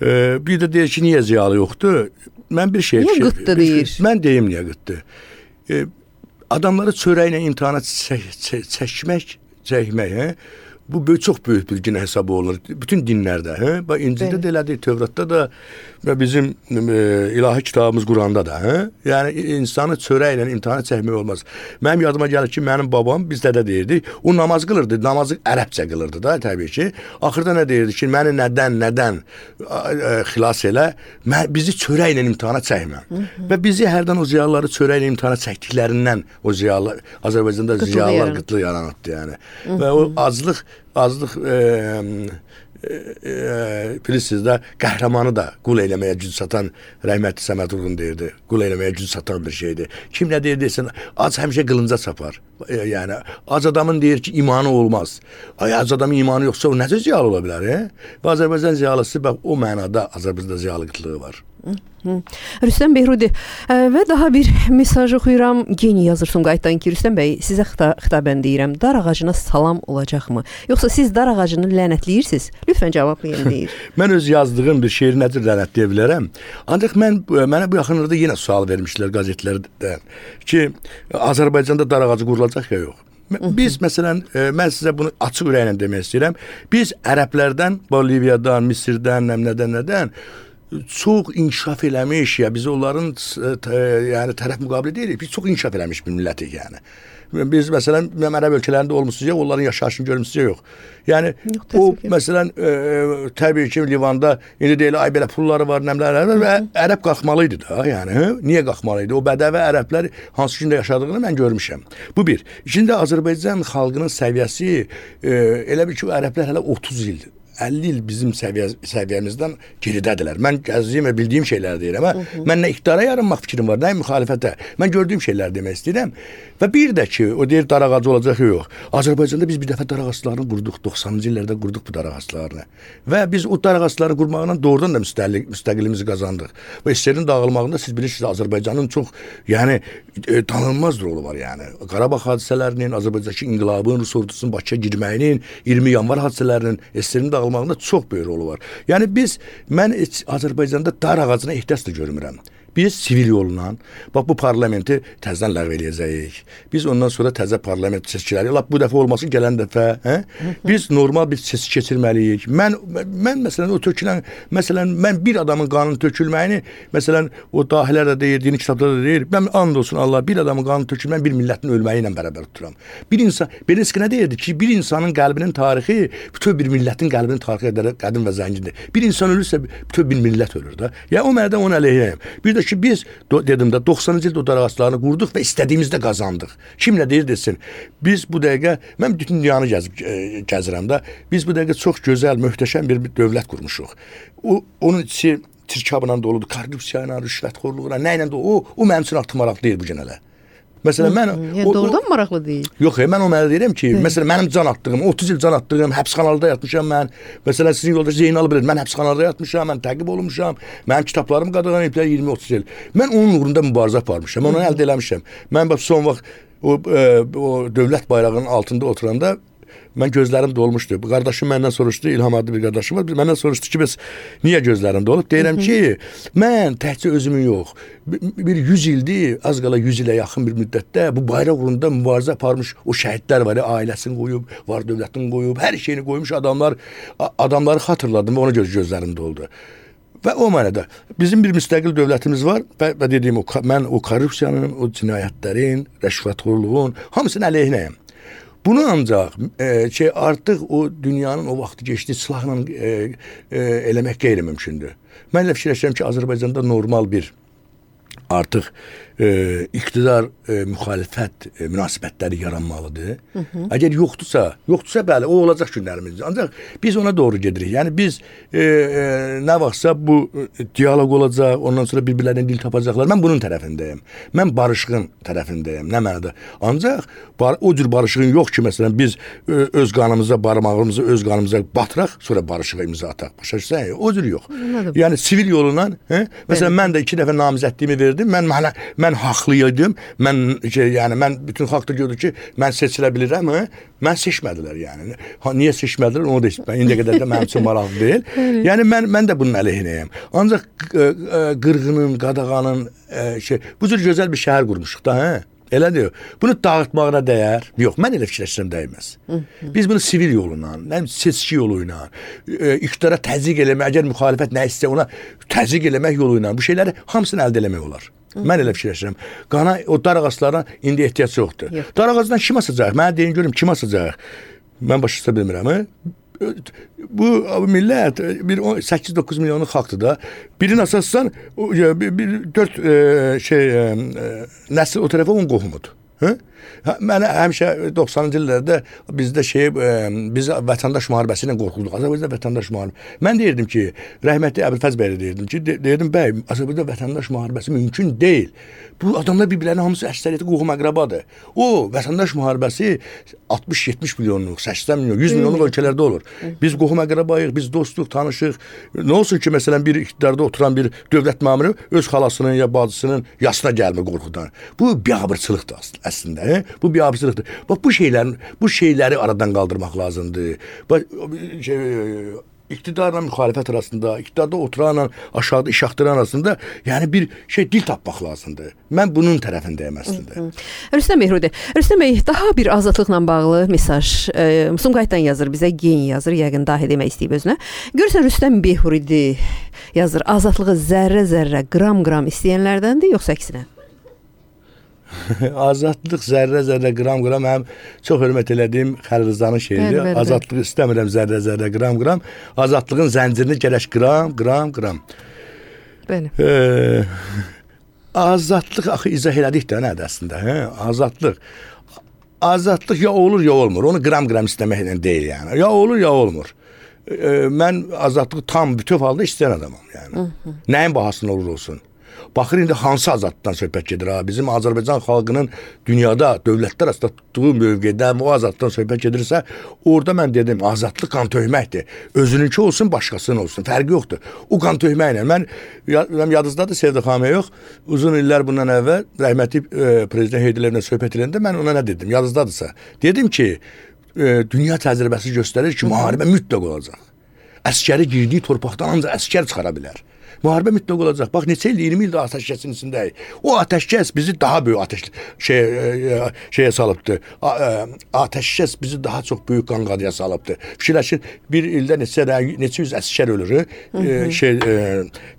Bir də deyir ki, niyə ziyalı yoxdur? Mən bir şey... Niyə qıtdı deyir? Mən deyim niyə qıtdı. Adamları çörəklə imtihana çəkmək, bu çox böyük bir günah hesabı olunur. Bütün dinlərdə. Bax, İncildə də elədir, Tövratda da və bizim ilahi kitabımız Quranda da. Yəni, insanı çörəklə imtihana çəkmək olmaz. Mənim yadıma gəlir ki, mənim babam bizdə də deyirdi, o namaz qılırdı, namazı ərəbcə qılırdı da, təbii ki. Axırda nə deyirdi ki, məni nədən xilas elə, bizi çörəklə imtihana çəkmə. Və bizi hərdən o ziyalıları çörəklə imtihana çəkdiklərindən o ziyalı, Azərbaycanda ziyalılar qıtlığı yaranıbdı, yəni. Və o azlıq bilirsiniz də, qəhrəmanı da qul eləməyə güc satan rəhmətli Səməd Vurğun deyirdi. Qul eləməyə güc satan bir şeydir. Kim nə deyir desin, ac həmişə qılınca çapar. Yəni, ac adamın deyir ki, imanı olmaz. Ac adamın imanı yoxsa o necə ziyalı ola bilər? Və Azərbaycan ziyalısı, o mənada Azərbaycanda ziyalı qıtlığı var. Rüstəm Behrudi və daha bir mesaj oxuyuram. Geni yazır Sumqayıtdan ki, Rüstəm bəy, sizə xitabən deyirəm, dar ağacına salam olacaqmı? Yoxsa siz dar ağacını lənətləyirsiniz? Lütfən cavablayın deyir. Mən öz yazdığım bir şeiri necə lənətləyə bilərəm? Ancaq mənə bu yaxınlarda yenə sual vermişlər qazetlərdən ki, Azərbaycanda dar ağacı qurulacaq ya yox. Biz məsələn, mən sizə bunu açıq ürəklə demək istəyirəm. Biz ərəblərdən, Boliviyadan, Misirdən, nədən çox inkişaf eləmiş ya, biz onların yəni tərəf müqabili deyilik, biz çox inkişaf eləmiş bir millətik yəni. Biz məsələn, ərəb ölkələrində olmuşsunuz ya, onların yaşayışını görmüşsünüz yox. Yəni, o məsələn, təbii ki, Livanda indi deyil, ay belə pulları var, nəmləri var və ərəb qalxmalıydı da, yəni, niyə qalxmalıydı? O bədəvi ərəblər hansı gündə yaşadığını mən görmüşəm. Bu bir. İçində Azərbaycan xalqının səviyyəsi elə bir ki, o ərəblər hələ 30 ildir. 50 il bizim səviyyəmizdən geridədirlər. Mən gəzdiyim və bildiyim şeylər deyirəm. Mən nə iqtidara yaranmaq fikrim var, nə müxalifətə. Mən gördüyüm şeylər demək istəyirəm. Və bir də ki, o deyir dar ağacı olacaq yox. Azərbaycanda biz bir dəfə dar ağaclarını qurduq, 90-cı illərdə qurduq bu dar ağaclarını. Və biz o dar ağaclarını qurmağından doğrudan da müstəqilimizi qazandıq. Və SSR-in dağılmağında siz bilirsiniz, Azərbaycanın çox, yəni, tanınmaz rolu var, yəni. Qarabağ hadisələrinin, Azərbaycandakı inqilabın, Rus ordusunun Bakıya girməyinin, 20 yanvar hadisələrinin, SSR-in dağılmağında çox böyük rolu var. Yəni mən Azərbaycanda dar ağacına ehtiyac da görmürəm. Biz sivil yolla, bax bu parlamenti təzədən ləğv eləyəcəyik. Biz ondan sonra təzə parlament seçkiləri, bu dəfə olmasın, gələn dəfə, biz normal bir seçki keçirməliyik. Mən məsələn, o tökülən, məsələn, mən bir adamın qanunu tökülməyini, məsələn, o dahilər də deyir, dini kitabda da deyir, mən and olsun Allah, bir adamın qanunu tökülməyini bir millətin ölməyi ilə bərabər tuturam. Bir insan, Belinski nə deyirdi ki, bir insanın qəlbinin tarixi bütün bir millətin qəlbinin tarixi qədər qədim və zəngindir. Bir insan ölürsə, bütün bir millət ölür da. Yəni, o mənədən onu əleyhəyəm. Bir də ki, biz, dedim də, 90-cı ildə o dar ağaclarını qurduq və istədiyimizdə qazandıq. Kim nə deyir desin, biz bu dəqiqə, mən bütün dünyanı gəzirəm də, biz bu dəqiqə çox gözəl, möhtəşəm bir dövlət qurmuşuq. Onun içi tirkabla doludur, korrupsiya ilə, rüşvətxorluğuna, nə ilə də o mənim üçün artıq maraqlı deyil bu günələ. Məsələn, mən... Yəni, doğrudan maraqlı deyil. Yox, mən o mənə deyirəm ki, məsələn, mənim can atdığım, 30 il can atdığım, həbsxanalarda yatmışam mən. Məsələn, sizin yoldaş Zeynal bilir, mən həbsxanalarda yatmışam, mən təqib olmuşam, mənim kitablarım qadağanlayıblar 20-30 il. Mən onun uğrunda mübarizə aparmışam, onu əldə eləmişəm. Mən son vaxt o dövlət bayrağının altında oturanda mən gözlərim dolmuşdu. Bu qardaşım məndən soruşdu, İlham adlı bir qardaşım var. Məndən soruşdu ki, bəs niyə gözlərim dolub? Deyirəm ki, mən təkcə özümün yox, bir 100 ildir, az qala 100 ilə yaxın bir müddətdə bu bayraq uğrunda mübarizə aparmış o şəhidlər var, ailəsini qoyub, var dövlətini qoyub, hər şeyini qoymuş adamları xatırladım və ona görə gözlərim doldu. Və o mənədə bizim bir müstəqil dövlətimiz var və dediyim, mən o korrupsiyanın, o cinayətlərin, rəşvətxorluğun hamısının əleyhinəyəm. Bunu ancaq artıq o dünyanın o vaxtı geçdiyi silahla eləmək qeyri-mümkündür. Mən elə fikirləşirəm ki, Azərbaycanda normal bir artıq iqtidar müxalifət münasibətləri yaranmalıdır. Əgər yoxdursa bəli, o olacaq günlərimizdə. Ancaq biz ona doğru gedirik. Yəni biz nə vaxtsa bu dialoq olacaq, ondan sonra bir-birlərindən dil tapacaqlar. Mən bunun tərəfindəyim. Mən barışığın tərəfindəyim. Nə mənada? Ancaq o cür barışığın yox ki, məsələn biz öz qanımıza, barmağımızı öz qanımıza batıraq, sonra barışığa imza ataq. Başa düşürsən? O cür yox. Yəni sivil yolla, məsələn mən də 2 dəfə namizədliyimi verdim. Mən haqlıydım. Mən bütün xalqda gördüm ki, mən seçilə bilirəm. Mən seçmədilər yəni. Niyə seçmədilər? Onu da mən indiyə qədər də mənim üçün maraqlı deyil. Yəni mən də bunun əleyhinəyəm. Ancaq qırğının, qadağanın bu cür gözəl bir şəhər qurmuşuq da, Elə deyir. Bunu dağıtmağına dəyər. Yox, mən elə fikirləşirəm dəyməz. Biz bunu sivil yolla, seçki yolu ilə, iqtidara təzyiq eləmək, əgər müxalifət nə istəyir ona təzyiq eləmək yolu ilə bu şeyləri hamısını əldə eləmək olar. Mən elə fikirləşirəm. O dar ağaclara indi ehtiyac yoxdur. Dar ağacdan kim asacaq? Mənə deyin görüm kim asacaq? Mən başa düşə bilmirəm. Bu millət 8-9 milyonluq xalqdır da. Birini asassan 4 nəsil o tərəfə onun qohumudur. Mən həmişə 90-cı illərdə bizdə biz vətəndaş müharibəsi ilə qorxulduq. Azərbaycanda vətəndaş müharibəsi. Mən deyirdim ki, rəhmətli Əbülfəz bəy deyirdim ki, bəy, Azərbaycanda vətəndaş müharibəsi mümkün deyil. Bu adamlar bir-birlərinin hamısı əksəriyyəti qohum əqrabadır. O vətəndaş müharibəsi 60-70 milyonluq, 80 milyon, 100 milyonluq ölkələrdə olur. Biz qohum əqrabayıq, biz dostluq, tanışıq. Nə olsun ki, məsələn bir iqtidarda oturan bir dövlət məmuru öz xalasının ya bacısının yasına gəlmə qorxudan. Bu biabırçılıqdır əslində. Bu biabırçılıqdır. Bax bu şeyləri aradan qaldırmaq lazımdır. İqtidarla müxalifət arasında, iqtidarda oturanla aşağıda iş axtaran arasında yəni bir dil tapmaq lazımdır. Mən bunun tərəfindəyim əslində. Rüstəm Behrudi, Rüstəm bəy daha bir azadlıqla bağlı mesaj Sumqayıtdan yazır, bizə gen yazır, yəqin dahi demək istəyib özünə. Görürsən Rüstəm Behrudi yazır, azadlığı zərrə-zərrə, qram-qram istəyənlərdəndir, yoxsa əksinə? Azadlıq zərrə-zərrə, qram-qram həm çox hörmət elədiyim Xəlil Rızanın şeiri. Azadlıq istəmirəm zərrə-zərrə, qram-qram. Azadlığın zəncirini gərək qram-qram. Bəli. Azadlıq axı izah elədik də nədir əslində? Azadlıq ya olur ya olmur. Onu qram-qram istəməklə deyil yəni. Ya olur ya olmur. Mən azadlığı tam bütöv halda istəyən adamam yəni. Nəyin bahasına olur olsun. Baxır indi hansı azadlıqdan söhbət gedir ha? Bizim Azərbaycan xalqının dünyada dövlətlər arasında tutduğu mövqedən o azadlıqdan söhbət gedirsə, orada mən dedim azadlıq qan töhməkdir. Özününki olsun, başqasının olsun. Fərqi yoxdur. O qan töhməklə. Mən yadınızdadır Sevda xanımə yox. Uzun illər bundan əvvəl rəhmətli prezident Heydərliyevlə söhbət edəndə mən ona nə dedim? Yadınızdadırsa. Dedim ki, dünya təcrübəsi göstərir ki, müharibə mütləq olacaq. Əskəri girdiyi torpaqdan ancaq əskər çıxara bilər. Müharibə mütləq olacaq. Bax, neçə il, 20 ildə atəşkəsin içindəyik. O atəşkəs bizi daha böyük şeyə salıbdır. Atəşkəs bizi daha çox böyük qanqadıya salıbdır. Fikirləşin, bir ildə neçə yüz əskər ölür.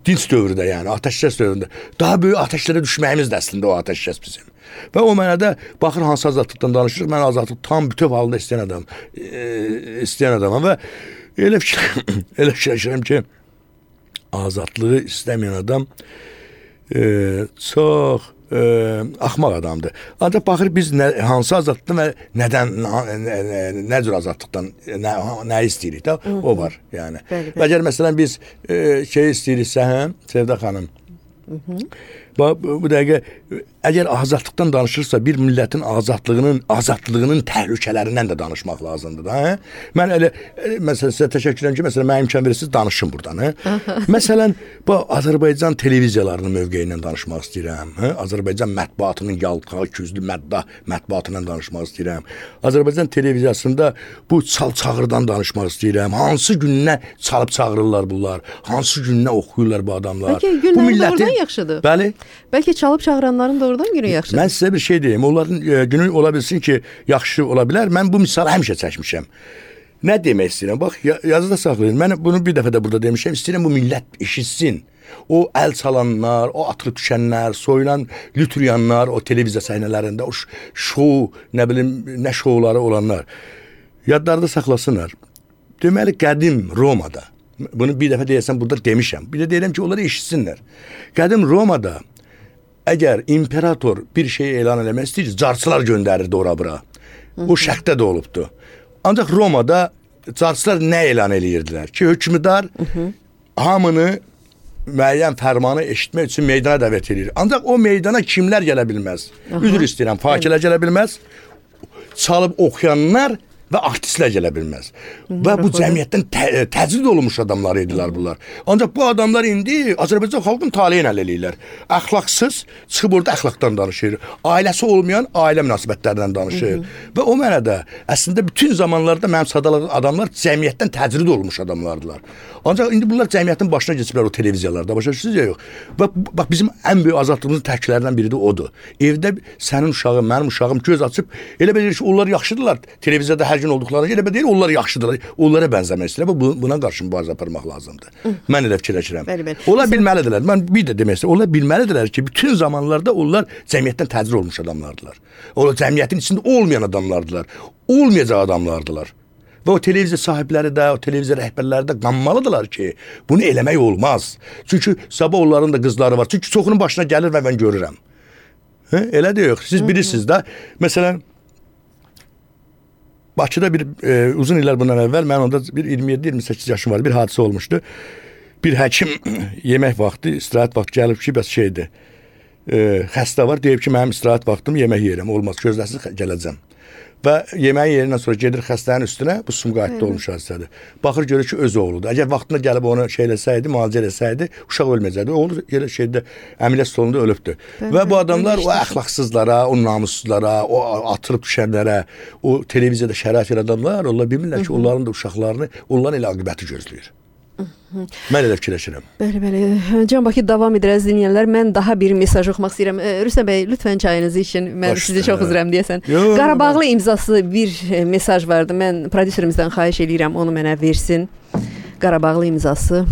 Dinç dövrüdə yəni, atəşkəs dövründə. Daha böyük atəşlərə düşməyimiz də əslində o atəşkəs bizim. Və o mənada baxır hansı azadlıqdan danışırıq. Mən azadlıq tam bütöv halında istəyən adamam və elə fikirləşirəm ki, azadlığı istəməyən adam çox axmaq adamdır. Ancaq baxır biz hansı azadlıqdan və nədən, nə cür azadlıqdan nə istəyirik də o var yəni. Əgər məsələn biz istəyiriksə, Sevda xanım, bu dəqiqə əgər azadlıqdan danışırsa bir millətin azadlığının təhlükələrindən də danışmaq lazımdır da. Mən məsələn sizə təşəkkür edirəm ki, məsələn mənə imkan verirsiniz danışım buradan. Məsələn bu Azərbaycan televiziyalarının mövqeyindən danışmaq istəyirəm. Azərbaycan mətbuatının yalqağı, küzlü mətbuatından danışmaq istəyirəm. Azərbaycan televiziyasında bu çal-çağırdan danışmaq istəyirəm. Hansı gününə çalıb çağırırlar bunlar? Hansı gününə oxuyurlar bu adamlar? Bəlkə günləri doğrudan yaxşıdır. Bəli. Bəlkə çalıb çağıranların doğrudan günü yaxşıdır. Mən sizə bir şey deyim. Onların günü ola bilsin ki, yaxşı ola bilər. Mən bu misalı həmişə çəkmişəm. Nə demək istəyirəm? Bax, yazıda saxlayın. Mən bunu bir dəfə də burada demişəm. İstəyirəm bu millət eşitsin. O əl çalanlar, o atılıb düşənlər, soyulan, lütüryanlar, o televiziya səhnələrində, o şou, nə şouları olanlar. Yadlarda saxlasınlar. Deməli, qədim Romada, bunu bir dəfə deyəsəm burada demişəm. Bir də deyirəm ki, onları eşitsinlər. Qədim Romada əgər imperator bir şey elan eləmək istəyir, carçılar göndərirdi ora-bura. O şərqdə də olubdu. Ancaq Romada carçılar nə elan eləyirdilər ki, hökmdar hamını müəyyən fərmanı eşitmək üçün meydana dəvət edir. Ancaq o meydana kimlər gələ bilməz? Üzr istəyirəm, fakirlər gələ bilməz, çalıb oxuyanlar və artistlər gələ bilməz. Və bu cəmiyyətdən təcrid olunmuş adamlar idilər bunlar. Ancaq bu adamlar indi Azərbaycan xalqının taleyini həll eləyirlər. Əxlaqsız çıxıb orada əxlaqdan danışır. Ailəsi olmayan ailə münasibətlərindən danışır. Və o mənada əslində bütün zamanlarda mənim sadaladığım adamlar cəmiyyətdən təcrid olmuş adamlardılar. Ancaq indi bunlar cəmiyyətin başına keçiblər o televiziyalarda. Başa düşürsünüz ya yox. Və bax bizim ən böyük azadlığımızın təklərdən biri də odur. Evdə sənin uşağın, mənim uşağım göz açıb elə bilir ki, onlar yaxşıdırlar. Televiziyada hər gün olduqları elə deyil, onlar yaxşıdırlar. Onlara bənzəmək istəyirlər. Buna qarşı mübarizə aparmaq lazımdır. Mən elə fikirləşirəm. Onlar bilməlidirlər. Mən bir də demək istəyirəm. Onlar bilməlidirlər ki, bütün zamanlarda onlar cəmiyyətdən təcrid olmuş adamlardılar. Onlar cəmiyyətin içində olmayan adamlardılar. Olmayacaq adamlardılar. Və o televiziya sahibləri də, o televiziya rəhbərləri də qanmalıdırlar ki, bunu eləmək olmaz. Çünki sabah onların da qızları var. Çünki çoxunun başına gəlir və mən görürəm. Elə də yox. Siz bilirsiniz də, məsələn, Bakıda bir uzun illər bundan əvvəl mən onda bir 27-28 yaşım var. Bir hadisə olmuşdu. Bir həkim yemək vaxtı, istirahət vaxtı gəlib ki, bəs şeydir. Xəstə var, deyib ki, mənim istirahət vaxtım yemək yerim. Olmaz, gözləsiz gələcəm. Və yeməyin yerindən sonra gedir xəstənin üstünə, bu Sumqayıtda olmuş hadisədir. Baxır görür ki, öz oğludur. Əgər vaxtında gəlib onu şeyləsəydi, müalicə eləsəydi, uşaq ölməyəcəkdi. Oğlu yerə şeydə əməliyyat stolunda ölübdü. Və bu adamlar o əxlaqsızlara, o namussuzlara, o atırıb düşənlərə, o televiziyada şərait yaradanlar, onlar bilmirlər ki, onların da uşaqlarını, onların elə aqibəti gözləyir. Mən elə fikirləşirəm. Bəli. Can Bakı davam edir əziz dinləyənlər. Mən daha bir mesaj oxumaq istəyirəm. Rüstəm bəy, lütfən çayınızı için. Mən sizi çox üzrəm deyəsən. Qarabağlı imzası bir mesaj vardı. Mən prodüserimizdən xahiş eləyirəm, onu mənə versin. Qarabağlı imzası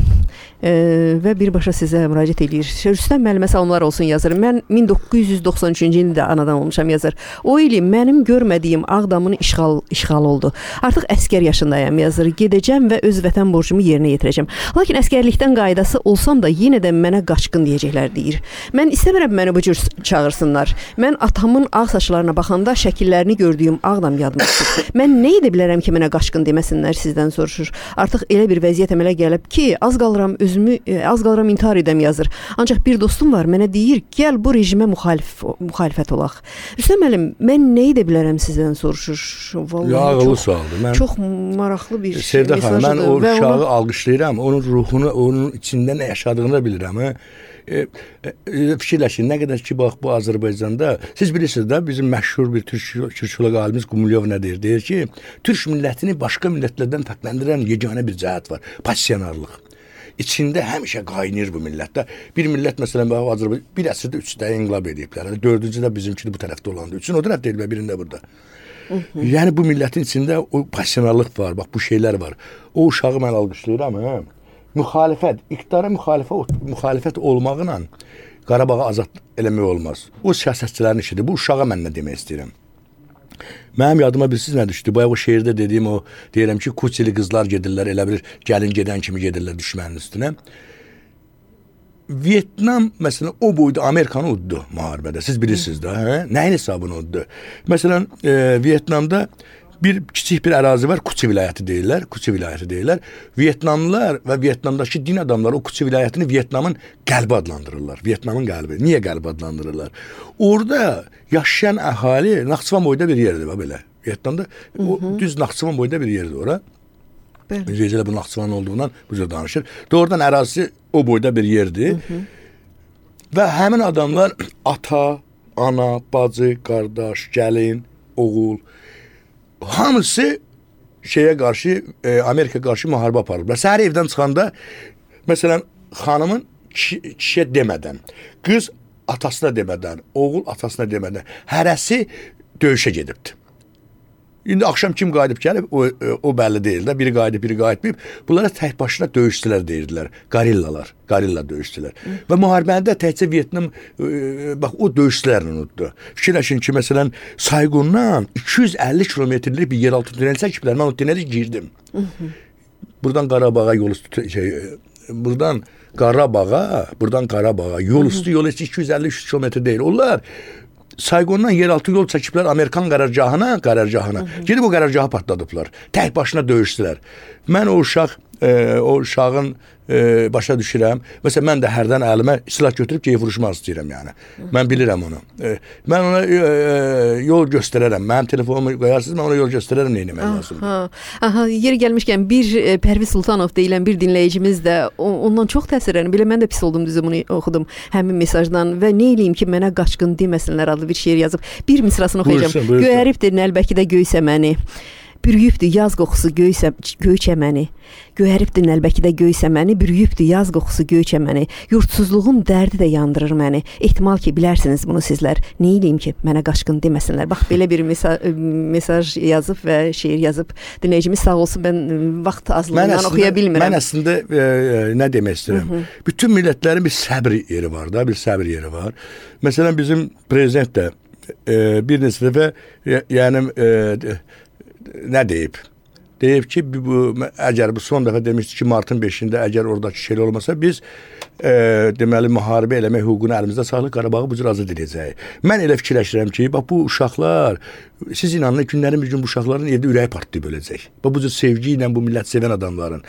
və birbaşa sizə müraciət edir. Rüstəm müəllimə salamlar olsun yazır. Mən 1993-cü ildə anadan olmuşam yazır. O ili mənim görmədiyim Ağdamın işğal oldu. Artıq əskər yaşındayam yazır. Gedəcəm və öz vətən borcumu yerinə yetirəcəm. Lakin əskərlikdən qaydası olsam da yenə də mənə qaçqın deyəcəklər deyir. Mən istəmirəm məni bu cür çağırsınlar. Mən atamın ağ saçlarına baxanda şəkillərini gördüyüm Ağdam yadıma düşür. Mən nə edə bilərəm ki, mənə qaçqın deməsinlər sizdən soruşur. Artıq elə bir vəziyyət əmələ gəlib ki, az qalıram intihar edəm yazır. Ancaq bir dostum var, mənə deyir, gəl bu rejimə müxalifət olaq. Rüstəm müəllim, mən nə edə bilərəm sizdən soruşur. Ağıllı sualdır. Çox maraqlı bir Sevdə xanım, mən o uşağı alqışlayıram, onun ruhunu, onun içində nə yaşadığını da bilirəm. Fikirləşin, nə qədər ki, bax, bu Azərbaycanda, siz bilirsiniz də, bizim məşhur bir türkçülük alimiz Qumulyov nə deyir? Deyir ki, türk millətini başqa millətlərdən fərqləndirən yeganə bir cəhət var, passionarlıq. İçində həmişə qaynayır bu millətdə. Bir millət, məsələn, Azərbaycan, bir əsrdə 3 dəyə inqilab ediblər. 4-cü də bizimkini bu tərəfdə olandı. 3-ün o tərəfdə ediblər, birində burada. Yəni, bu millətin içində o passionarlıq var, bax, bu şeylər var. O uşağı mən alqışlayıram, müxalifət, iqtidara müxalifət olmaqla Qarabağı azad eləmək olmaz. O siyasətçilərin işidir. Bu uşağa mən nə demək istəyirəm? Mənim yadıma bilirsiniz nə düşdü? Bayaq o şeirdə dediyim o, deyirəm ki, kuçili qızlar gedirlər, elə bilir, gəlin gedən kimi gedirlər düşmənin üstünə. Vietnam, məsələn, o boyda Amerikanı uddu müharibədə. Siz bilirsiniz də, nəyin hesabını uddu? Məsələn, Vietnamda bir kiçik bir ərazi var, Kuçi vilayəti deyirlər. Vietnamlılar və Vietnamdakı din adamları o Kuçi vilayətini Vietnamın qəlbi adlandırırlar. Vietnamın qəlbi. Niyə qəlbi adlandırırlar? Orada yaşayan əhali Naxçıvan boyda bir yerdir, belə. Vietnamda düz Naxçıvan boyda bir yerdir ora. Necə bu Naxçıvan olduğundan bu cür danışır. Doğrudan ərazisi o boyda bir yerdir. Və həmin adamlar ata, ana, bacı, qardaş, gəlin, oğul, hamısı şeyə qarşı, Amerika qarşı müharibə aparırlar. Səhər evdən çıxanda, məsələn, xanımın kişiyə demədən, qız atasına demədən, oğul atasına demədən, hərəsi döyüşə gedibdir. İndi axşam kim qayıdıb gəlib, o bəlli deyil də, biri qayıdıb, biri qayıtmayıb. Bunlara tək başına döyüşçülər deyirlər, qarilla döyüşçülər. Və müharibəndə təkcə Vietnam, bax, o döyüşçülərlə uddu. Fikirləşin ki, məsələn, Sayqondan 250 kilometrlik bir yeraltı tünel çəkiblər, mən o tüneli girdim. Buradan Qarabağa yol buradan Qarabağa yol üstü yol 250-300 kilometr deyil. Onlar Sayqondan yeraltı yol çəkiblər Amerikan qərargahına. Gedib o qərargahı partladıblar. Tək başına döyüşdülər. Mən o uşağın başa düşürəm. Məsələn, mən də hərdən əlimə silah götürüb geyib vuruşmaq istəyirəm yəni. Mən bilirəm onu. Mən ona yol göstərərəm. Mənim telefonumu qoyarsınız, mən ona yol göstərərəm nə etmək lazımdır. Yeri gəlmişkən bir Pərviz Sultanov deyilən bir dinləyicimiz də ondan çox təsirlənib. Belə mən də pis oldum düzü bunu oxudum həmin mesajdan və nə eləyim ki, mənə qaçqın deməsinlər adlı bir şeir yazıb. Bir misrasını oxuyacağam. Göyəribdir nəlbəkidə göysə məni. Bürüyübdür yaz qoxusu göy çəməni. Göyəribdir nəlbəkidə göy səməni, bürüyübdür yaz qoxusu göy çəməni. Yurdsuzluğun dərdi də yandırır məni. Ehtimal ki, bilərsiniz bunu sizlər. Nə eləyim ki, mənə qaçqın deməsinlər. Bax, belə bir mesaj yazıb və şeir yazıb. Dinləyicimiz sağ olsun, mən vaxt azlığından oxuya bilmirəm. Mən əslində nə demək istəyirəm? Bütün millətlərin bir səbr yeri var da, bir səbr yeri var. Məsələn, bizim prezident də bir neçə dəfə, yəni nə deyib? Deyib ki, əgər bu son dəfə demişdi ki, martın 5-də əgər oradakı şey olmasa biz deməli müharibə eləmək hüququnu əlimizdə saxlıq Qarabağı bu cür azad edəcəyik. Mən elə fikirləşirəm ki, bax bu uşaqlar, siz inanın günlərin bir gün bu uşaqların evdə ürəyi partlayıb öləcək. Bax bu cür sevgi ilə bu millət sevən adamların.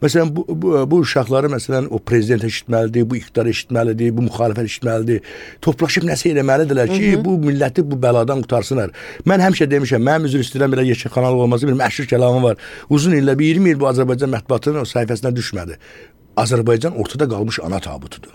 Məsələn bu uşaqları məsələn o prezident eşitməlidir, bu iqtidar eşitməlidir, bu müxalifət eşitməlidir. Toplaşıb nəsə eləməlidirlər ki, bu milləti bu bəladan qutarsınlar. Mən həmişə demişəm, mənim üzr istəyirəm belə Yeşil kanal olması bir məşhur kəlamım var. Uzun illər, 20 il bu Azərbaycan mətbuatının o səhifəsinə düşmədi. Azərbaycan ortada qalmış ana tabutudur.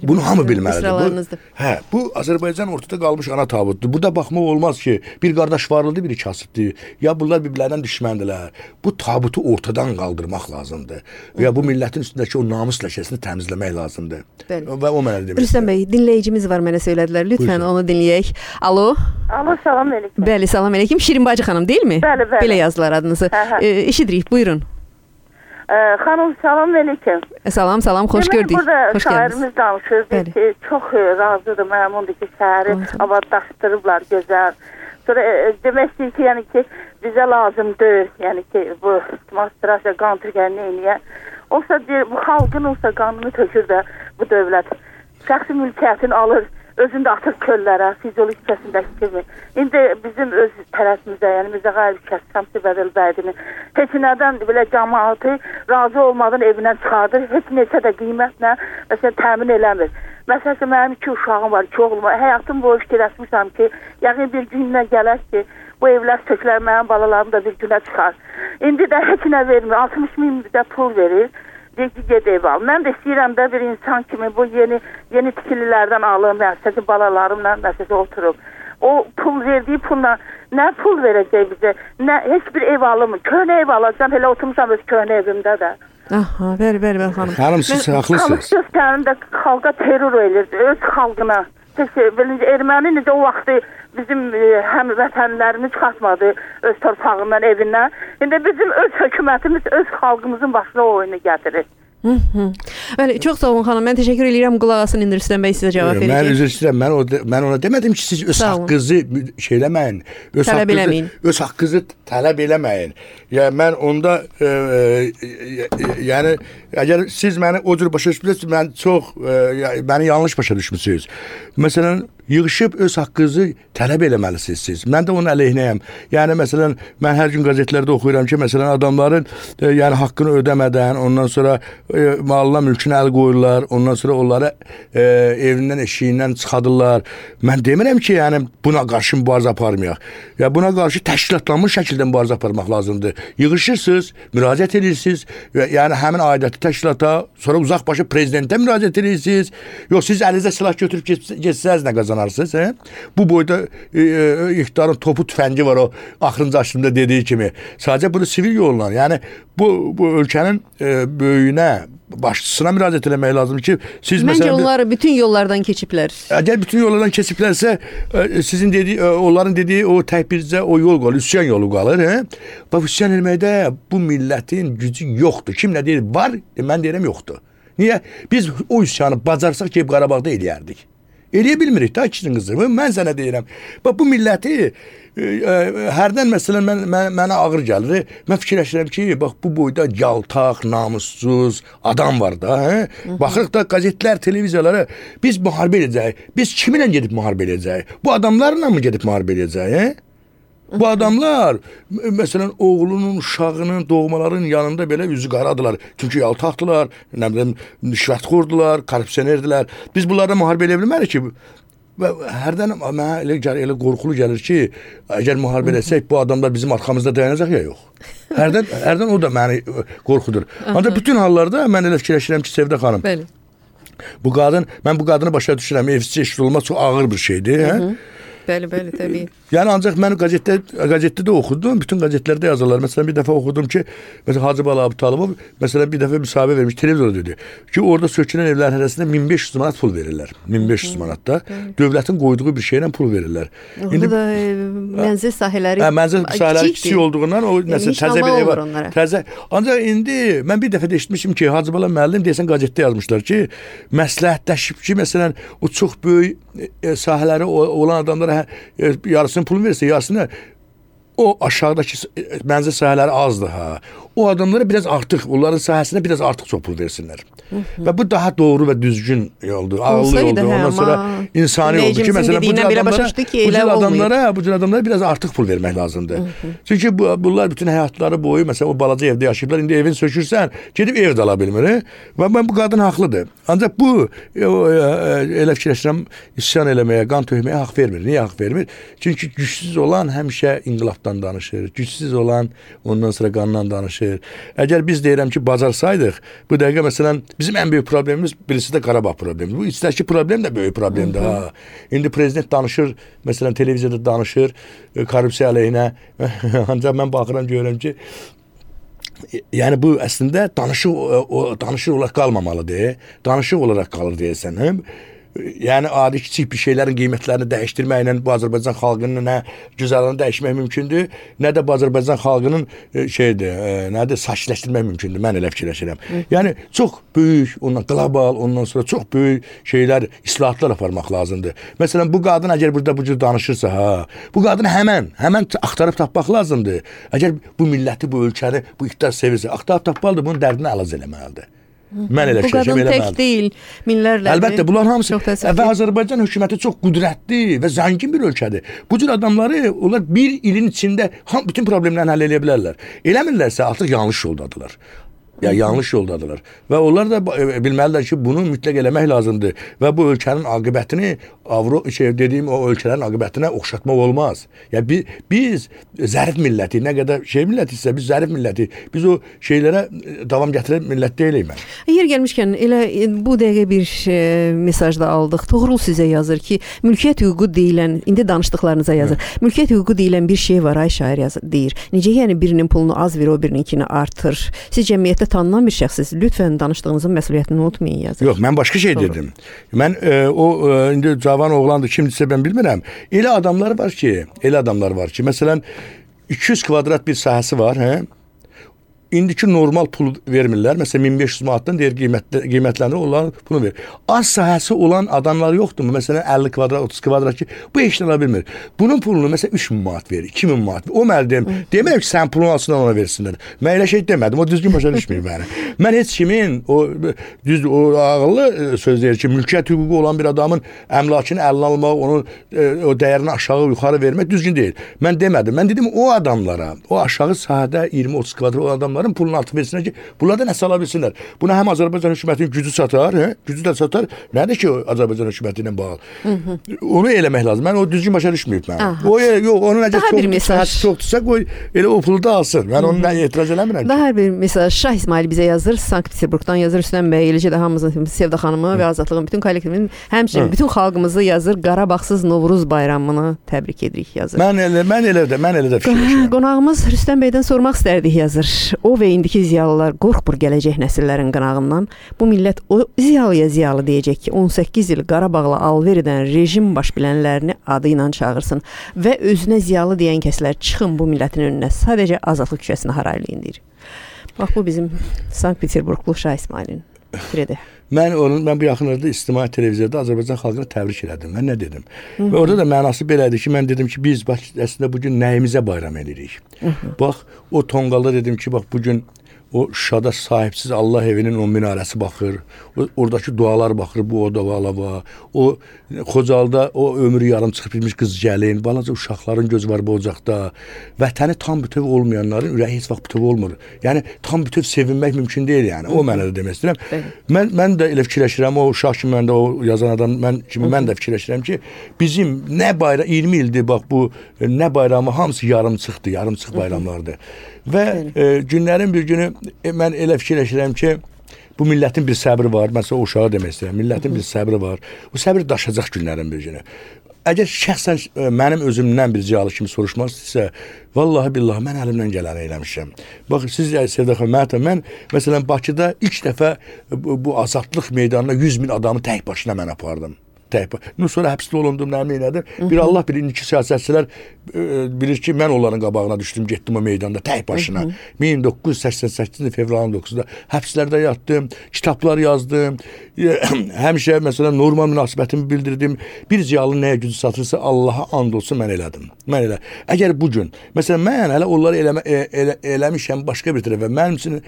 Bunu hamı bilməlidir. Bu Azərbaycan ortada qalmış ana tabutudur. Burada baxmaq olmaz ki, bir qardaş varlıdır, biri kasıbdır. Ya bunlar bir-birlərindən düşməndirlər. Bu tabutu ortadan qaldırmaq lazımdır. Ya bu millətin üstündəki o namus ləkəsini təmizləmək lazımdır. Və o mənə demək. Rüstəm bəy, dinləyicimiz var, mənə söylədilər. Lütfən onu dinləyək. Alo. Alo, salam əleykum. Bəli, salam əleykum. Şirin bacı xanım, deyilmi? Bəli. Belə yazdılar adınızı. Eşidirik, buyurun. Xanım, salam əleykum. Salam, xoş gördük. Burada şairimiz danışırdı ki, çox razıdır, məmnundur ki, şəhəri abadlaşdırıblar, gözəl. Sonra demək istəyir ki, yəni ki, bizə lazımdır, yəni ki, bu demonstrasiya, qan türkəni neyniyə. Olsa deyir, bu xalqın olsa qanını tökür də bu dövlət. Şəxsi mülkiyyətini alır, özünü də atır köllərə, fizioloji kəsindəki kimi. İndi bizim öz tərəfimizdə, yəni Mirzə Qayrı kəsi Şəmsi Bədəlbəydini heç nədən belə cəmaatı razı olmadan evindən çıxardır, heç neçə də qiymətlə məsələn təmin eləmir. Məsələn, mənim 2 uşağım var, 2 oğlum var. Həyatım boyu fikirləşmişəm ki, yəni bir günlə gələr ki, bu evlər sökülər, mənim balalarım da bir günə çıxar. İndi də heç nə vermir, 60.000 də pul verir. Deyir ki, ged ev al. Mən də istəyirəm də bir insan kimi bu yeni tikililərdən alım, məsələn, balalarımla məsələn oturub. O pul verdiyi pulla nə pul verəcək bizə, nə heç bir ev alımı, köhnə ev alacağım, elə oturmuşam öz köhnə evimdə də. Aha, ver xanım. Xanım, siz haqlısınız. Xalq xalqa terror edir, öz xalqına. Erməni necə o vaxtı bizim həmvətənlərimiz çıxartmadı öz torpağından, evindən. İndi bizim öz hökumətimiz öz xalqımızın başına oyunu gətirir. Bəli, çox sağ olun xanım. Mən təşəkkür edirəm. Qulaq asın, indi Rüstəm bəy sizə cavab verəcək. Mən üzr istəyirəm. Mən ona demədim ki, siz öz haqqınızı şey eləməyin. Öz haqqınızı tələb eləməyin. Yəni mən onda yəni əgər siz məni o cür başa düşmürsünüz, mən çox məni yanlış başa düşmüsünüz. Məsələn, yığışıb öz haqqınızı tələb eləməlisiniz siz. Mən də onun əleyhinəyəm. Yəni məsələn, mən hər gün qəzetlərdə oxuyuram ki, məsələn adamların yəni haqqını ödəmədən, ondan sonra malına, mülkünə əl qoyurlar, ondan sonra onları evindən, eşiyindən çıxadırlar. Mən demirəm ki, yəni buna qarşı mübarizə aparmayaq. Ya buna qarşı təşkilatlanmış şəkildə mübarizə aparmaq lazımdır. Yığışırsınız, müraciət edirsiniz, yəni həmin aidiyyatı təşkilata, sonra uzaqbaşı prezidentə müraciət edirsiniz. Yox, siz əlinizə silah götürüb geçsəniz nə qazanarsınız? Bu boyda iqtidarın topu tüfəngi var o axırıncı açılımda dediyi kimi. Sadəcə bunu sivil yolla, yəni bu ölkənin böyüyünə, başçısına müraciət eləmək lazımdır ki, siz Məncə məsələn onlar bütün yollardan keçiblər. Əgər bütün yollardan keçiblərsə, sizin onların dediyi o tək bircə o yol qalır, üsyan yolu qalır. Bax, üsyan eləməkdə bu millətin gücü yoxdur. Kim nə deyir? Var, mən deyirəm yoxdur. Niyə? Biz o üsyanı bacarsaq ki, Qarabağda eləyərdik. Eləyə bilmirik da, kişinin qızı. Mən sənə deyirəm. Bax, bu milləti hərdən məsələn mənə ağır gəlir. Mən fikirləşirəm ki, bax bu boyda yaltaq, namussuz adam var da, hə? Baxırıq da qəzetlər, televiziyalara biz müharibə edəcəyik. Biz kiminlə gedib müharibə edəcəyik? Bu adamlarla mı gedib müharibə edəcəyik, hə? Bu adamlar məsələn oğlunun, uşağının, doğmaların yanında belə üzü qaradılar. Çünki yaltaqdılar, nə bilim, rüşvətxordular, korrupsionerdirlər. Biz bunlarla müharibə edə bilmərik ki. Və hərdən mənə elə qorxulu gəlir ki, əgər müharibə etsək bu adamlar bizim arxamızda dayanacaq ya yox. Hərdən o da məni qorxudur. Ancaq bütün hallarda mən elə fikirləşirəm ki, Sevdə xanım. Bəli. Mən bu qadını başa düşürəm. Evsiz eşit olmaq çox ağır bir şeydir, hə? Bəli, təbii. Yəni ancaq mən qəzetdə də oxudum, bütün qəzetlərdə yazırlar. Məsələn bir dəfə oxudum ki, məsələn Hacı Bala Abtalımov məsələn bir dəfə müsahibə vermiş, televizorda dedi ki, orada sökülən evlərin hərəsində 1500 manat pul verirlər. 1500 manatda dövlətin qoyduğu bir şeylə pul verirlər. İndi da mənzil sahələri kiçik olduğundan o məsələn təzə bir ev var. Ancaq indi mən bir dəfə də eşitmişim ki, Hacı Bala müəllim deyəsən qəzetdə yazmışlar ki, məsləhətləşib ki, məsələn o çox böyük sahələri olan adamlara yarısını pul verirsə, yarısını o aşağıdakı mənzil sahələri azdır ha. O adamlara biraz artıq, onların sahəsinə biraz artıq çox pul versinlər. Və bu daha doğru və düzgün yoldur, ağıllı yoldur. Ondan sonra insani oldu ki, məsələn bu cür adamlara biraz artıq pul vermək lazımdır. Çünki bunlar bütün həyatları boyu, məsələn o balaca evdə yaşayıblar, indi evini sökürsən, gedib ev də ala bilmir. Və bu qadın haqlıdır. Ancaq bu, elə fikirləşirəm, isyan eləməyə, qan tökməyə haqq vermir. Niyə haqq vermir? Çünki gücsüz olan həmişə inqilabdan danışır, gücsüz olan ondan sonra qandan danışır. Əgər biz deyirəm ki, bacarsaydıq, bu dəqiqə məsələn bizim ən böyük problemimiz birisi də Qarabağ problemi. Bu içdəki problem də böyük problemdir. Ha. İndi prezident danışır, məsələn televiziyada danışır korrupsiya əleyhinə. Ancaq mən baxıram görürəm ki, yəni bu əslində danışıq olaraq qalmamalıdır. Danışıq olaraq qalır deyəsən. Yəni adi kiçik bir şeylərin qiymətlərini dəyişdirməklə bu Azərbaycan xalqının nə güzəranını dəyişmək mümkündür, nə də bu Azərbaycan xalqının sakitləşdirmək mümkündür. Mən elə fikirləşirəm. Yəni çox böyük, qlobal, ondan sonra çox böyük şeylər, islahatlar aparmaq lazımdır. Məsələn bu qadın əgər burada bu cür danışırsa, bu qadını həmən axtarıb tapmaq lazımdır. Əgər bu milləti, bu ölkəni, bu iqtidar sevirsə, axtarıb tapmalıdır, bunun dərdini əlac eləməlidir. Mən elə bu qadın tək deyil, minlərlə. Əlbəttə, bunlar hamısı və Azərbaycan hökuməti çox qüdrətli və zəngin bir ölkədir. Bu cür adamları onlar bir ilin içində bütün problemlərini həll edə bilərlər. Eləmirlərsə artıq yanlış yoldadılar. Yanlış yoldadılar. Və onlar da bilməlidirlər ki, bunu mütləq eləmək lazımdır. Və bu ölkənin aqibətini dediyim o ölkələrin aqibətinə oxşatmaq olmaz. Biz zərif milləti, nə qədər milləti isə biz zərif milləti. Biz o şeylərə davam gətirən millət deyilik mən. Yer gəlmişkən elə bu dəqiqə bir mesaj da aldıq. Toğrul sizə yazır ki, mülkiyyət hüququ deyilən, indi danışdıqlarınıza yazır. Mülkiyyət hüququ deyilən bir şey var, ay şair deyir. Necə yəni birinin pulunu az verir, o birininkini artır. Siz cəmiyyətdə tanınan bir şəxsiz. Lütfən danışdığınızın məsuliyyətini unutmayın yazır. Yox, mən başqa şey dedim. Mən indi cavan oğlandır, kimdirsə mən bilmirəm. Elə adamlar var ki, məsələn 200 kvadrat bir sahəsi var, hə? İndiki normal pul vermirlər. Məsələn 1500 manatdan deyir qiymətlərini onlar pulu verir. Az sahəsi olan adamlar yoxdurmu? Məsələn 50 kvadrat, 30 kvadrat ki, bu heç nə ala bilmir. Bunun pulunu məsələn 3000 manat verir, 2000 manat. O məlim demək ki, sən pulunu alsınlar ona versinlər. Mən elə şey demədim. O düzgün başa düşmür məni. Mən heç kimin o ağıllı söz deyir ki, mülkiyyət hüququ olan bir adamın əmlakını əlinə almaq, onun o dəyərini aşağı yuxarı vermək düzgün deyil. Mən demədim. Mən dedim o adamlara, o aşağı sahədə 20-30 kvadrat olan adamlar pulunu artıq versinlər ki, bunlar da nəsə ala bilsinlər. Buna həm Azərbaycan hökumətinin gücü çatar, gücü də çatar. Nədir ki, Azərbaycan hökuməti ilə bağlı? Onu eləmək lazım. Mən o düzgün başa düşməyib mən. Yox, onun necə çoxdursa qoy, elə o pulu da alsın. Mən onunla etiraz eləmirəm. Daha bir mesaj Şah İsmail bizə yazır, Sankt-Peterburqdan yazır, Rüstəm bəy, eləcə də hamımızın Sevdə xanımı və Azadlığın bütün kollektivinin, həmçinin bütün xalqımızı yazır, Qarabağsız Novruz bayramını təbrik edirik yazır. Mən elə də fikirləşirəm. Qonağımız Rüstəm bəydən sormaq istərdik yazır. O və indiki ziyalılar qorxmur gələcək nəsillərin qınağından. Bu millət o ziyalıya ziyalı deyəcək ki, 18 il Qarabağla alver edən rejim baş bilənlərini adı ilə çağırsın və özünə ziyalı deyən kəslər çıxın bu millətin önünə, sadəcə Azadlıq küçəsini haraylayın deyir. Bax, bu bizim Sankt-Peterburqlu Şah İsmailin fikrədir. Mən bu yaxınlarda İctimai televiziyada Azərbaycan xalqını təbrik elədim. Mən nə dedim? Və orada da mənası belədir ki, mən dedim ki, biz əslində bu gün nəyimizə bayram edirik? Bax, o tonqalda dedim ki, bax bu gün o Şuşada sahibsiz Allah evinin o minarəsi baxır. Oradakı dualar baxır, bu o dualara. O Xocalda o ömrü yarım çıxıb bitmiş qız gəlin, balaca uşaqların gözü var bu ocaqda. Vətəni tam bütöv olmayanların ürəyi heç vaxt bütöv olmur. Yəni tam bütöv sevinmək mümkün deyil yəni. O mənada demək istəyirəm. Mən də elə fikirləşirəm, o uşaq kimi mən də o yazan adam mən də fikirləşirəm ki, bizim nə bayram 20 ildir bax bu nə bayramı hamısı yarımçıq bayramlardır. Və günlərin bir günü mən elə fikirləşirəm ki, bu millətin bir səbri var. Mən o uşağa demək istəyirəm. Millətin bir səbri var. Bu səbir daşacaq günlərin bir günü. Əgər şəxsən mənim özümdən bir cihalı kimi soruşmaq istəyirsə, vallahi billahi mən əlimdən gələni eləmişəm. Bax, siz Sevda xanım, mən məsələn Bakıda ilk dəfə bu azadlıq meydanına 100 min adamı tək başına mən apardım. Sonra həbsdə olundum, nə elədim. Bir Allah bilir, indiki siyasətçilər bilir ki, mən onların qabağına düşdüm, getdim o meydanda tək başına. 1988 fevralın 9-da həbslərdə yatdım, kitablar yazdım. Həmişə məsələn normal münasibətimi bildirdim. Bir ziyalı nəyə gücü satırsa Allaha and olsun mən elədim. Əgər bu gün, məsələn mən hələ onları eləmişəm başqa bir tərəfə, mənim üçün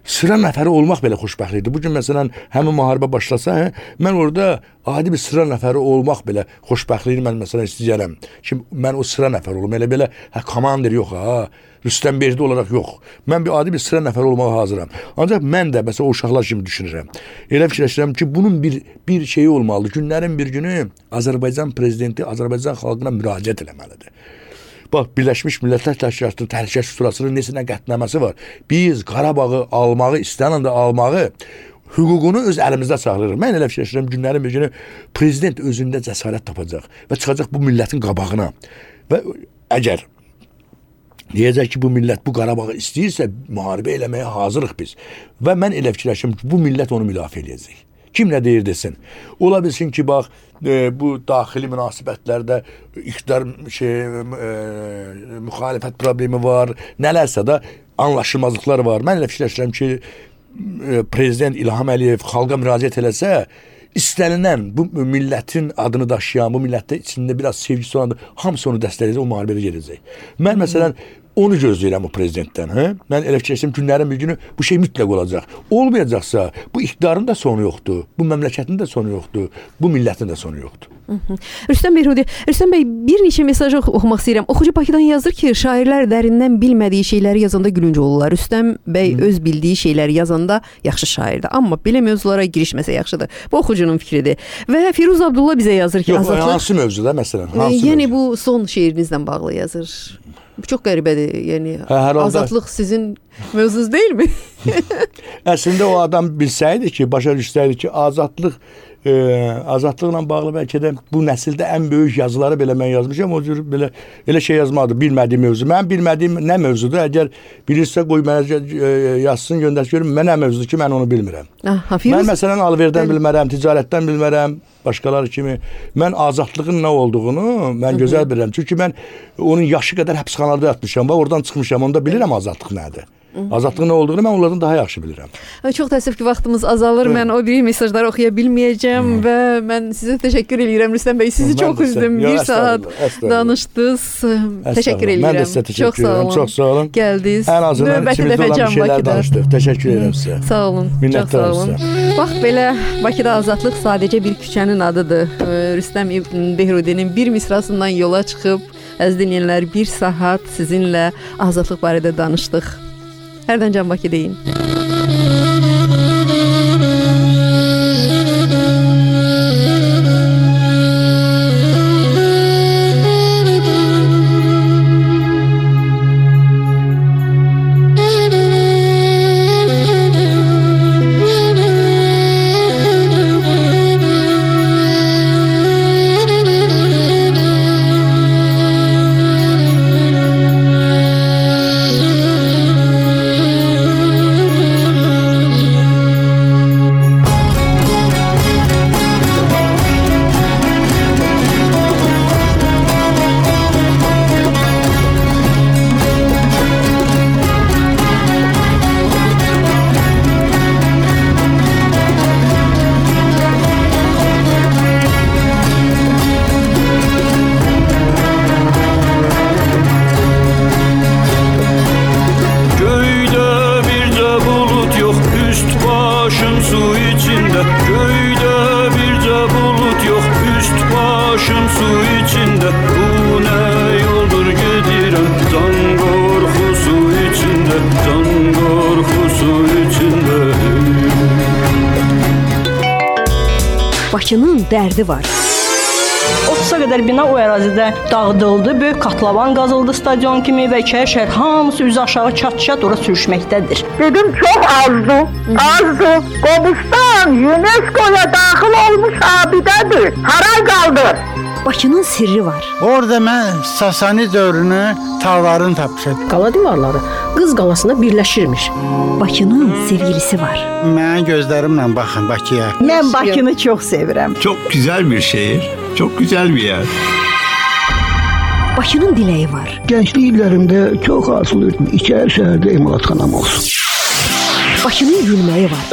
sıra nəfəri olmaq belə xoşbəxtlikdir. Bugün məsələn həmin müharibə başlasa, mən orada adi bir sıra nəfəri olmaq belə xoşbəxtliyini mən məsələn istəyərəm. Ki mən o sıra nəfəri olum. Elə belə komandir yox Rüstəm Berdi olaraq yox. Mən bir adi bir sıra nəfəri olmağa hazıram. Ancaq mən də məsələn o uşaqlar kimi düşünürəm. Elə fikirləşirəm ki, bunun bir şeyi olmalıdır. Günlərin bir günü Azərbaycan prezidenti Azərbaycan xalqına müraciət eləməlidir. Bax, Birləşmiş Millətlər Təşkilatının Təhlükəsizlik Şurasının neçə qətnaməsi var. Biz Qarabağı almağı, istəyən anda almağı hüququnu öz əlimizdə saxlayırıq. Mən elə fikirləşirəm, günlərin bir günü prezident özündə cəsarət tapacaq və çıxacaq bu millətin qabağına. Və əgər deyəcək ki, bu millət bu Qarabağı istəyirsə, müharibə eləməyə hazırıq biz. Və mən elə fikirləşirəm ki, bu millət onu müdafiə edəcək. Kim nə deyir desin. Ola bilsin ki, bax, bu daxili münasibətlərdə iqtidar müxalifət problemi var, nələrsə də anlaşılmazlıqlar var. Mən elə fikirləşirəm ki, prezident İlham Əliyev xalqa müraciət eləsə, istənilən bu millətin adını daşıyan, bu millətdə içində biraz sevgisi olan hamısı onu dəstəkləyəcək, o müharibəyə gedəcək. Mən məsələn onu gözləyirəm o prezidentdən. Mən elə fikirləşirəm, günlərin bir günü bu şey mütləq olacaq. Olmayacaqsa, bu iqtidarın da sonu yoxdur, bu məmləkətin də sonu yoxdur, bu millətin də sonu yoxdur. Rüstəm bəy, bir neçə mesaj oxumaq istəyirəm. Oxucu Bakıdan yazır ki, şairlər dərindən bilmədiyi şeyləri yazanda gülünc olurlar. Rüstəm bəy öz bildiyi şeyləri yazanda yaxşı şairdir. Amma belə mövzulara girişməsə yaxşıdır. Bu oxucunun fikridir. Və Firuz Abdullah bizə yazır ki, azadlıq... Hansı mövzuda məsələn? Yəni bu son şeirinizlə bağlı yazır. Bu çox qəribədir. Yəni azadlıq sizin mövzunuz deyilmi? Əslində o adam bilsəydi ki, başa düşsəydi ki, azadlıqla bağlı bəlkə də bu nəsildə ən böyük yazıları belə mən yazmışam. O cür belə elə şey yazmadı, bilmədiyim mövzu. Mən bilmədiyim nə mövzudur? Əgər bilirsə qoy mənə yazsın, göndərsin görüm. Mən nə mövzudur ki, mən onu bilmirəm. Mən məsələn alverdən bilmərəm, ticarətdən bilmərəm, başqaları kimi. Mən azadlığın nə olduğunu mən gözəl bilirəm. Çünki mən onun yaşı qədər həbsxanada yatmışam və oradan çıxmışam. Onda bilirəm azadlıq nədir. Azadlığın nə olduğunu mən onlardan daha yaxşı bilirəm. Çox təəssüf ki, vaxtımız azalır. Mən o bir mesajları oxuya bilməyəcəm və mən sizə təşəkkür edirəm Rüstəm bəy. Sizi çox üzdüm. Bir saat danışdınız. Təşəkkür edirəm. Mən də sizə təşəkkür edirəm. Çox sağ olun. Gəldiniz. Ən azından içimizdə olan bir şeylər danışdıq. Təşəkkür edirəm sizə. Sağ olun. Çox sağ olun. Bax belə Bakıda azadlıq sadəcə bir küçənin adıdır. Rüstəm Behrudinin bir misrasından yola çıxıb, əziz dinləyənlər, bir saat sizinlə azadlıq barədə danışdıq. Hərdən Can Bakı deyin. Bakının dərdi var. 30-a qədər bina o ərazidə dağıdıldı. Böyük katlavan qazıldı stadion kimi və içəri şəhər hamısı üzü aşağı çat-çat ora sürüşməkdədir. Dedim çox azdı. Qobustan UNESCO-ya daxil olmuş abidədir. Haray qaldı. Bakının sirri var. Orada mən Sasani dövrünü tağların tapmışam. Qala divarları Qız qalasına birləşirmiş. Bakının sevgilisi var. Mənim gözlərimlə baxın Bakıya. Mən Bakını çox sevirəm. Çok güzel bir şehir. Çok güzel bir yer. Bakının diləyi var. Gençlik illərimdə çox arzulayırdım. İçəri şəhərdə emalatxanam olsun. Bakının gülməyi var.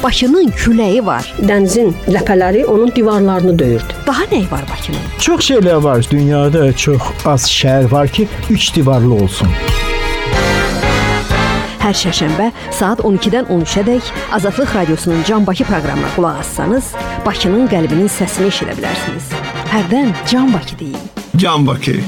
Bakının küləyi var. Dənizin ləpələri onun divarlarını döyürdü. Daha nə var Bakının? Çox şeylər var. Dünyada çox az şəhər var ki, 3 divarlı olsun. Hər şərşənbə saat 12-dən 13-ədək Azadlıq Radiosunun Can Bakı proqramına qulaq assanız, Bakının qəlbinin səsini eşidə bilərsiniz. Hərdən Can Bakı deyin. Can Bakı.